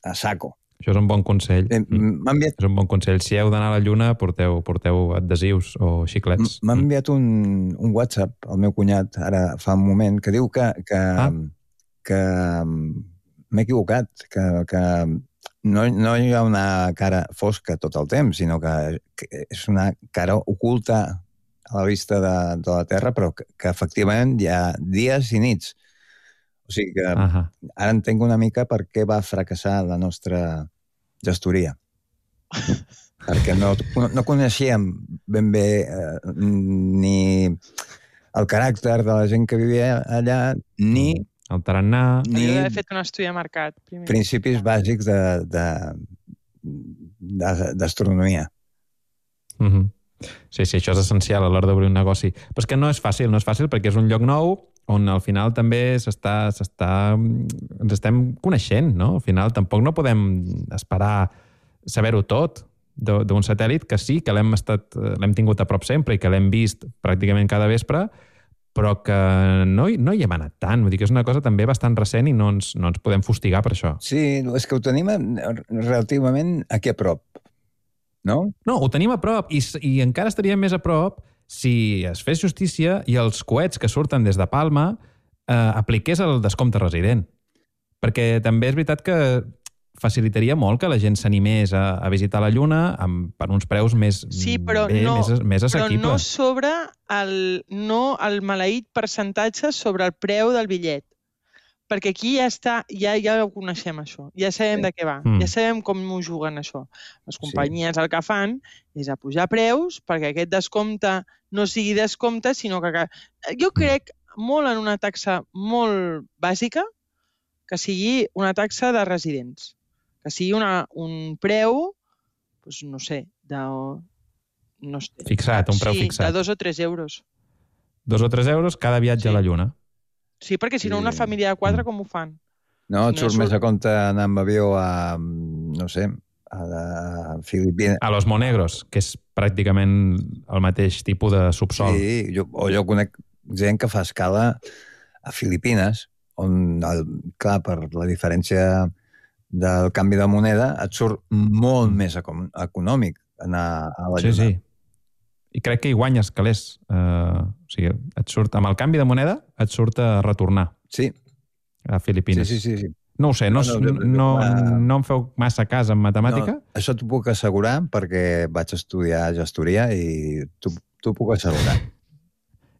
Speaker 7: a saco.
Speaker 4: Això és un bon consell.
Speaker 7: Eh, enviat...
Speaker 4: És un bon consell. Si heu d'anar a la lluna, porteu, porteu adhesius o xiclets.
Speaker 7: M'ha enviat un, un WhatsApp al meu cunyat, ara fa un moment, que diu que, que, ah. que m'he equivocat, que, que no, no hi ha una cara fosca tot el temps, sinó que, que és una cara oculta a la vista de, de la Terra, però que, que efectivament hi ha dies i nits. O sigui que uh-huh. ara entenc una mica per què va fracassar la nostra gestoria. Perquè no, no coneixíem ben bé eh, ni el caràcter de la gent que vivia allà, ni...
Speaker 4: El tarannà...
Speaker 6: Ni d'haver fet un estudi de mercat. Primer.
Speaker 7: Principis bàsics de, de, de, d'astronomia.
Speaker 4: Mhm. Sí, sí, això és essencial a l'hora d'obrir un negoci. Però és que no és fàcil, no és fàcil perquè és un lloc nou on al final també s'està, s'està, ens estem coneixent, no? Al final tampoc no podem esperar saber-ho tot d'un satèl·lit que sí, que l'hem estat, l'hem tingut a prop sempre i que l'hem vist pràcticament cada vespre, però que no, no hi hem anat tant. Vull dir que és una cosa també bastant recent i no ens, no ens podem fustigar per això.
Speaker 7: Sí, és que ho tenim relativament aquí a prop. No?
Speaker 4: No, ho tenim a prop i, i encara estaríem més a prop si es fes justícia i els coets que surten des de Palma eh, apliqués el descompte resident. Perquè també és veritat que facilitaria molt que la gent s'animés a, a visitar la Lluna amb, per uns preus més,
Speaker 6: sí, però
Speaker 4: bé,
Speaker 6: no,
Speaker 4: més, més assequibles.
Speaker 6: Però no sobre el, no el maleït percentatge sobre el preu del bitllet. Perquè aquí ja està, ja, ja ho coneixem, això. Ja sabem sí. de què va. Mm. Ja sabem com ho juguen, això. Les companyies sí. el que fan és a pujar preus perquè aquest descompte no sigui descompte, sinó que... Jo crec molt en una taxa molt bàsica que sigui una taxa de residents. Que sigui una, un preu, doncs no sé, de... No sé,
Speaker 4: fixat, un preu
Speaker 6: sí,
Speaker 4: fixat.
Speaker 6: de dos o tres euros.
Speaker 4: Dos o tres euros cada viatge
Speaker 6: sí.
Speaker 4: a la Lluna.
Speaker 6: Sí, perquè si no una família de quatre com ho fan?
Speaker 7: No, et
Speaker 6: si
Speaker 7: surt
Speaker 6: no
Speaker 7: més a compte anar amb avió a, no sé, a, a Filipines.
Speaker 4: A Los Monegros, que és pràcticament el mateix tipus de subsol.
Speaker 7: Sí, jo, o jo conec gent que fa escala a Filipines, on, el, clar, per la diferència del canvi de moneda, et surt molt més econòmic anar a la Lluna.
Speaker 4: Sí, sí. i crec que hi guanyes calés. Uh, o sigui, et surt, amb el canvi de moneda, et surt a retornar.
Speaker 7: Sí.
Speaker 4: A Filipines.
Speaker 7: Sí, sí, sí. sí.
Speaker 4: No ho sé, no, no, no, no, no em feu massa cas en matemàtica?
Speaker 7: No, això t'ho puc assegurar perquè vaig estudiar gestoria i t'ho puc assegurar.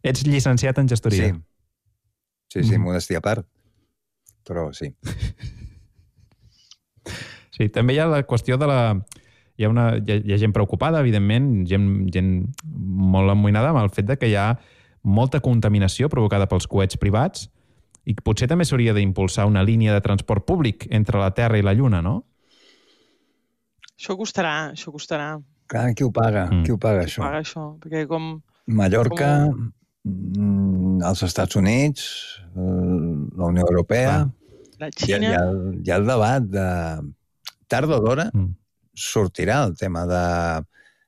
Speaker 4: Ets llicenciat en gestoria?
Speaker 7: Sí. Sí, sí, mm. modestia a part. Però sí.
Speaker 4: Sí, també hi ha la qüestió de la... Hi ha, una, hi ha, hi ha gent preocupada, evidentment, gent, gent molt amoïnada amb el fet de que hi ha molta contaminació provocada pels coets privats i que potser també s'hauria d'impulsar una línia de transport públic entre la Terra i la Lluna, no?
Speaker 6: Això costarà, això costarà.
Speaker 7: Clar, qui ho paga? Mm. Qui ho paga, això?
Speaker 6: Qui ho paga, això? Perquè com...
Speaker 7: Mallorca, com... els Estats Units, la Unió Europea...
Speaker 6: Ah, la Xina...
Speaker 7: Hi ha, hi ha, hi ha el debat de... Tard o d'hora mm. sortirà el tema de,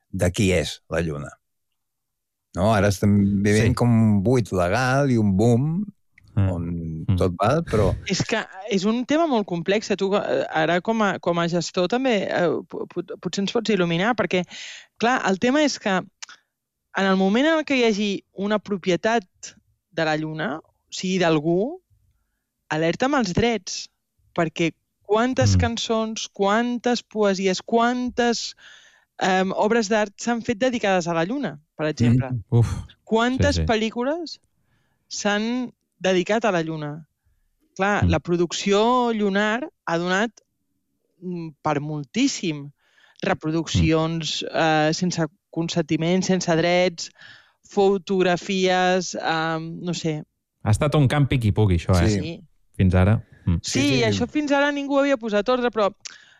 Speaker 7: de qui és la Lluna. No? Ara estem vivint sí. com un buit legal i un boom on mm. tot val, però...
Speaker 6: És que és un tema molt complex. Tu, ara, com a, com a gestor, també eh, pot, potser ens pots il·luminar, perquè, clar, el tema és que en el moment en què hi hagi una propietat de la Lluna, o sigui, d'algú, alerta amb els drets, perquè quantes mm. cançons, quantes poesies, quantes eh, obres d'art s'han fet dedicades a la Lluna, per exemple.
Speaker 4: Mm. Uf.
Speaker 6: Quantes
Speaker 4: sí, sí.
Speaker 6: pel·lícules s'han dedicat a la Lluna. Clar, mm. la producció lunar ha donat per moltíssim. Reproduccions mm. eh, sense consentiment, sense drets, fotografies, eh, no sé.
Speaker 4: Ha estat un camp piqui-pugui, això, eh?
Speaker 6: Sí.
Speaker 4: Fins ara. Mm.
Speaker 6: Sí, sí, sí, això fins ara ningú havia posat ordre, però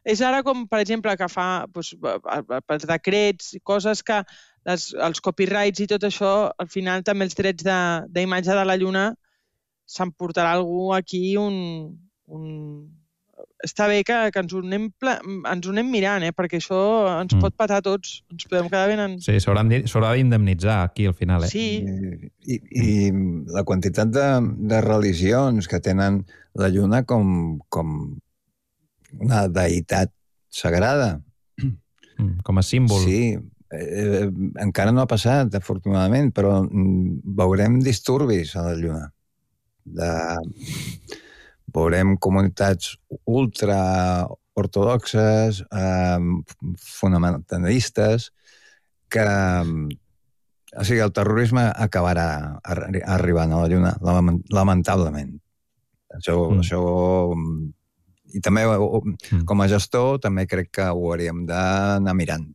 Speaker 6: és ara com, per exemple, que fa doncs, pels decrets i coses que les, els copyrights i tot això, al final també els drets d'imatge de, de la Lluna s'emportarà algú aquí un... un... Està bé que, que ens, ho anem, ens ho anem mirant, eh? Perquè això ens mm. pot patar a tots. Ens podem quedar ben... En...
Speaker 4: Sí, s'haurà d'indemnitzar aquí al final, eh?
Speaker 6: Sí.
Speaker 7: I, i la quantitat de, de religions que tenen la Lluna com, com una deïtat sagrada.
Speaker 4: Mm, com a símbol.
Speaker 7: Sí. Eh, encara no ha passat, afortunadament, però veurem disturbis a la Lluna. De... Veurem comunitats ultra-ortodoxes, eh, fonamentalistes, que... O sigui, el terrorisme acabarà arribant a la Lluna, lamentablement. Això... Mm. això I també, com a gestor, també crec que ho hauríem d'anar mirant.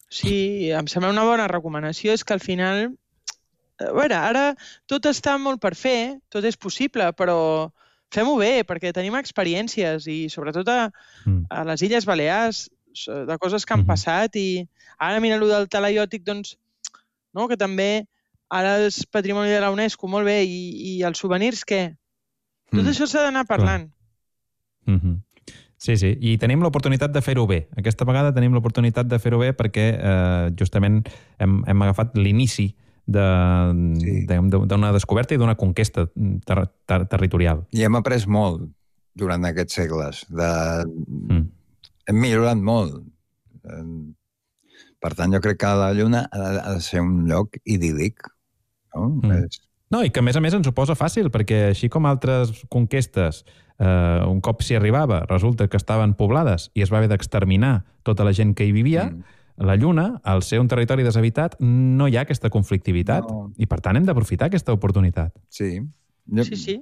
Speaker 6: Sí, em sembla una bona recomanació. És que al final... A veure, ara tot està molt per fer, tot és possible, però fem-ho bé, perquè tenim experiències i sobretot a, a les Illes Balears de coses que han passat i ara mira allò del talaiòtic, doncs, no? Que també ara és patrimoni de la UNESCO, molt bé, i, i els souvenirs, què? Tot mm. això s'ha d'anar parlant.
Speaker 4: Mm-hmm. Sí, sí, i tenim l'oportunitat de fer-ho bé. Aquesta vegada tenim l'oportunitat de fer-ho bé perquè eh, justament hem, hem agafat l'inici d'una de, sí. descoberta i d'una conquesta ter ter territorial.
Speaker 7: I hem après molt durant aquests segles. De... Mm. Hem millorat molt. Per tant, jo crec que la Lluna ha de ser un lloc idíl·lic. No?
Speaker 4: Mm. És... no, i que a més a més ens ho posa fàcil, perquè així com altres conquestes, eh, un cop s'hi arribava, resulta que estaven poblades i es va haver d'exterminar tota la gent que hi vivia, mm. la Lluna, al ser un territori deshabitat, no hi ha aquesta conflictivitat no. i, per tant, hem d'aprofitar aquesta oportunitat.
Speaker 7: Sí.
Speaker 6: Jo... Sí, sí.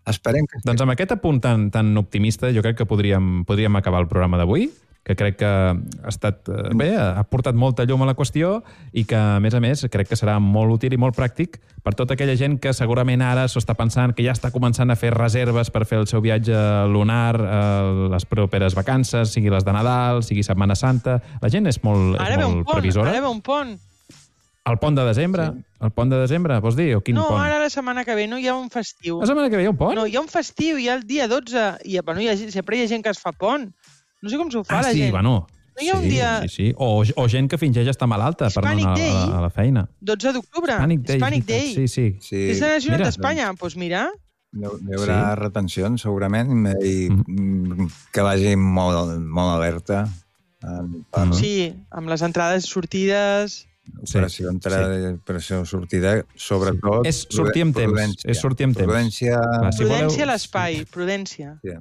Speaker 7: Esperem que...
Speaker 4: Doncs amb aquest apunt tan, tan optimista jo crec que podríem, podríem acabar el programa d'avui, que crec que ha estat bé, ha portat molta llum a la qüestió i que, a més a més, crec que serà molt útil i molt pràctic per tota aquella gent que segurament ara s'ho està pensant, que ja està començant a fer reserves per fer el seu viatge lunar, eh, les properes vacances, sigui les de Nadal, sigui Setmana Santa. La gent és molt, és molt
Speaker 6: pont,
Speaker 4: previsora.
Speaker 6: Ara ve un pont.
Speaker 4: El pont de desembre? Sí. El pont de desembre, vols dir? O quin
Speaker 6: no,
Speaker 4: pont?
Speaker 6: ara la setmana que ve no hi ha un festiu.
Speaker 4: La setmana que ve hi ha un pont?
Speaker 6: No, hi ha un festiu, hi ha el dia dotze. I, bueno, hi ha, sempre hi ha gent que es fa pont. No sé com s'ho fa,
Speaker 4: ah,
Speaker 6: la
Speaker 4: sí,
Speaker 6: gent.
Speaker 4: Bueno,
Speaker 6: no hi ha
Speaker 4: sí,
Speaker 6: un dia...
Speaker 4: sí, sí. O, o gent que fingeix estar malalta per anar a, a, a la feina.
Speaker 6: dotze d'octubre.
Speaker 4: Hispanic Day.
Speaker 6: Hispanic Day.
Speaker 4: Sí, sí.
Speaker 7: sí.
Speaker 6: És la nacional d'Espanya. Doncs pues mira...
Speaker 7: Hi haurà sí. retencions, segurament, i mm. que vagi molt, molt alerta. Per...
Speaker 6: Sí, amb les entrades i sortides...
Speaker 7: Operació sí, entrada i sí. operació sortida, sobretot...
Speaker 4: És sortir amb temps.
Speaker 7: Prudència.
Speaker 4: És sortir amb temps.
Speaker 7: Prudència...
Speaker 4: Clar, si
Speaker 6: prudència
Speaker 4: voleu...
Speaker 6: a l'espai, prudència.
Speaker 7: Sí.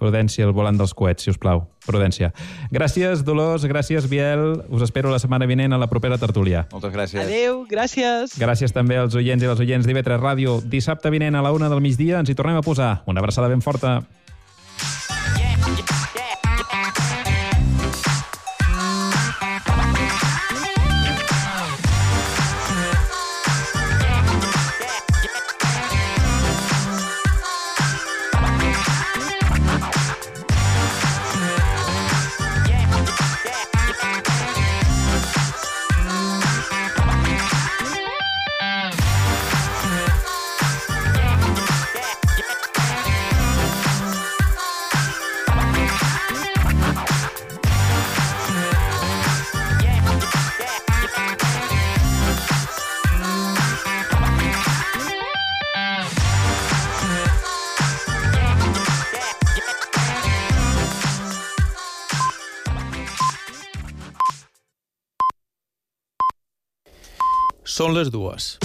Speaker 4: Prudència al volant dels coets, si us plau. Prudència. Gràcies, Dolors, gràcies, Biel. Us espero la setmana vinent a la propera tertúlia.
Speaker 7: Moltes gràcies.
Speaker 6: Adéu, gràcies.
Speaker 4: Gràcies també als oients i les oients d'I V tres Ràdio. Dissabte vinent a la una del migdia ens hi tornem a posar. Una abraçada ben forta.
Speaker 1: Són les dues.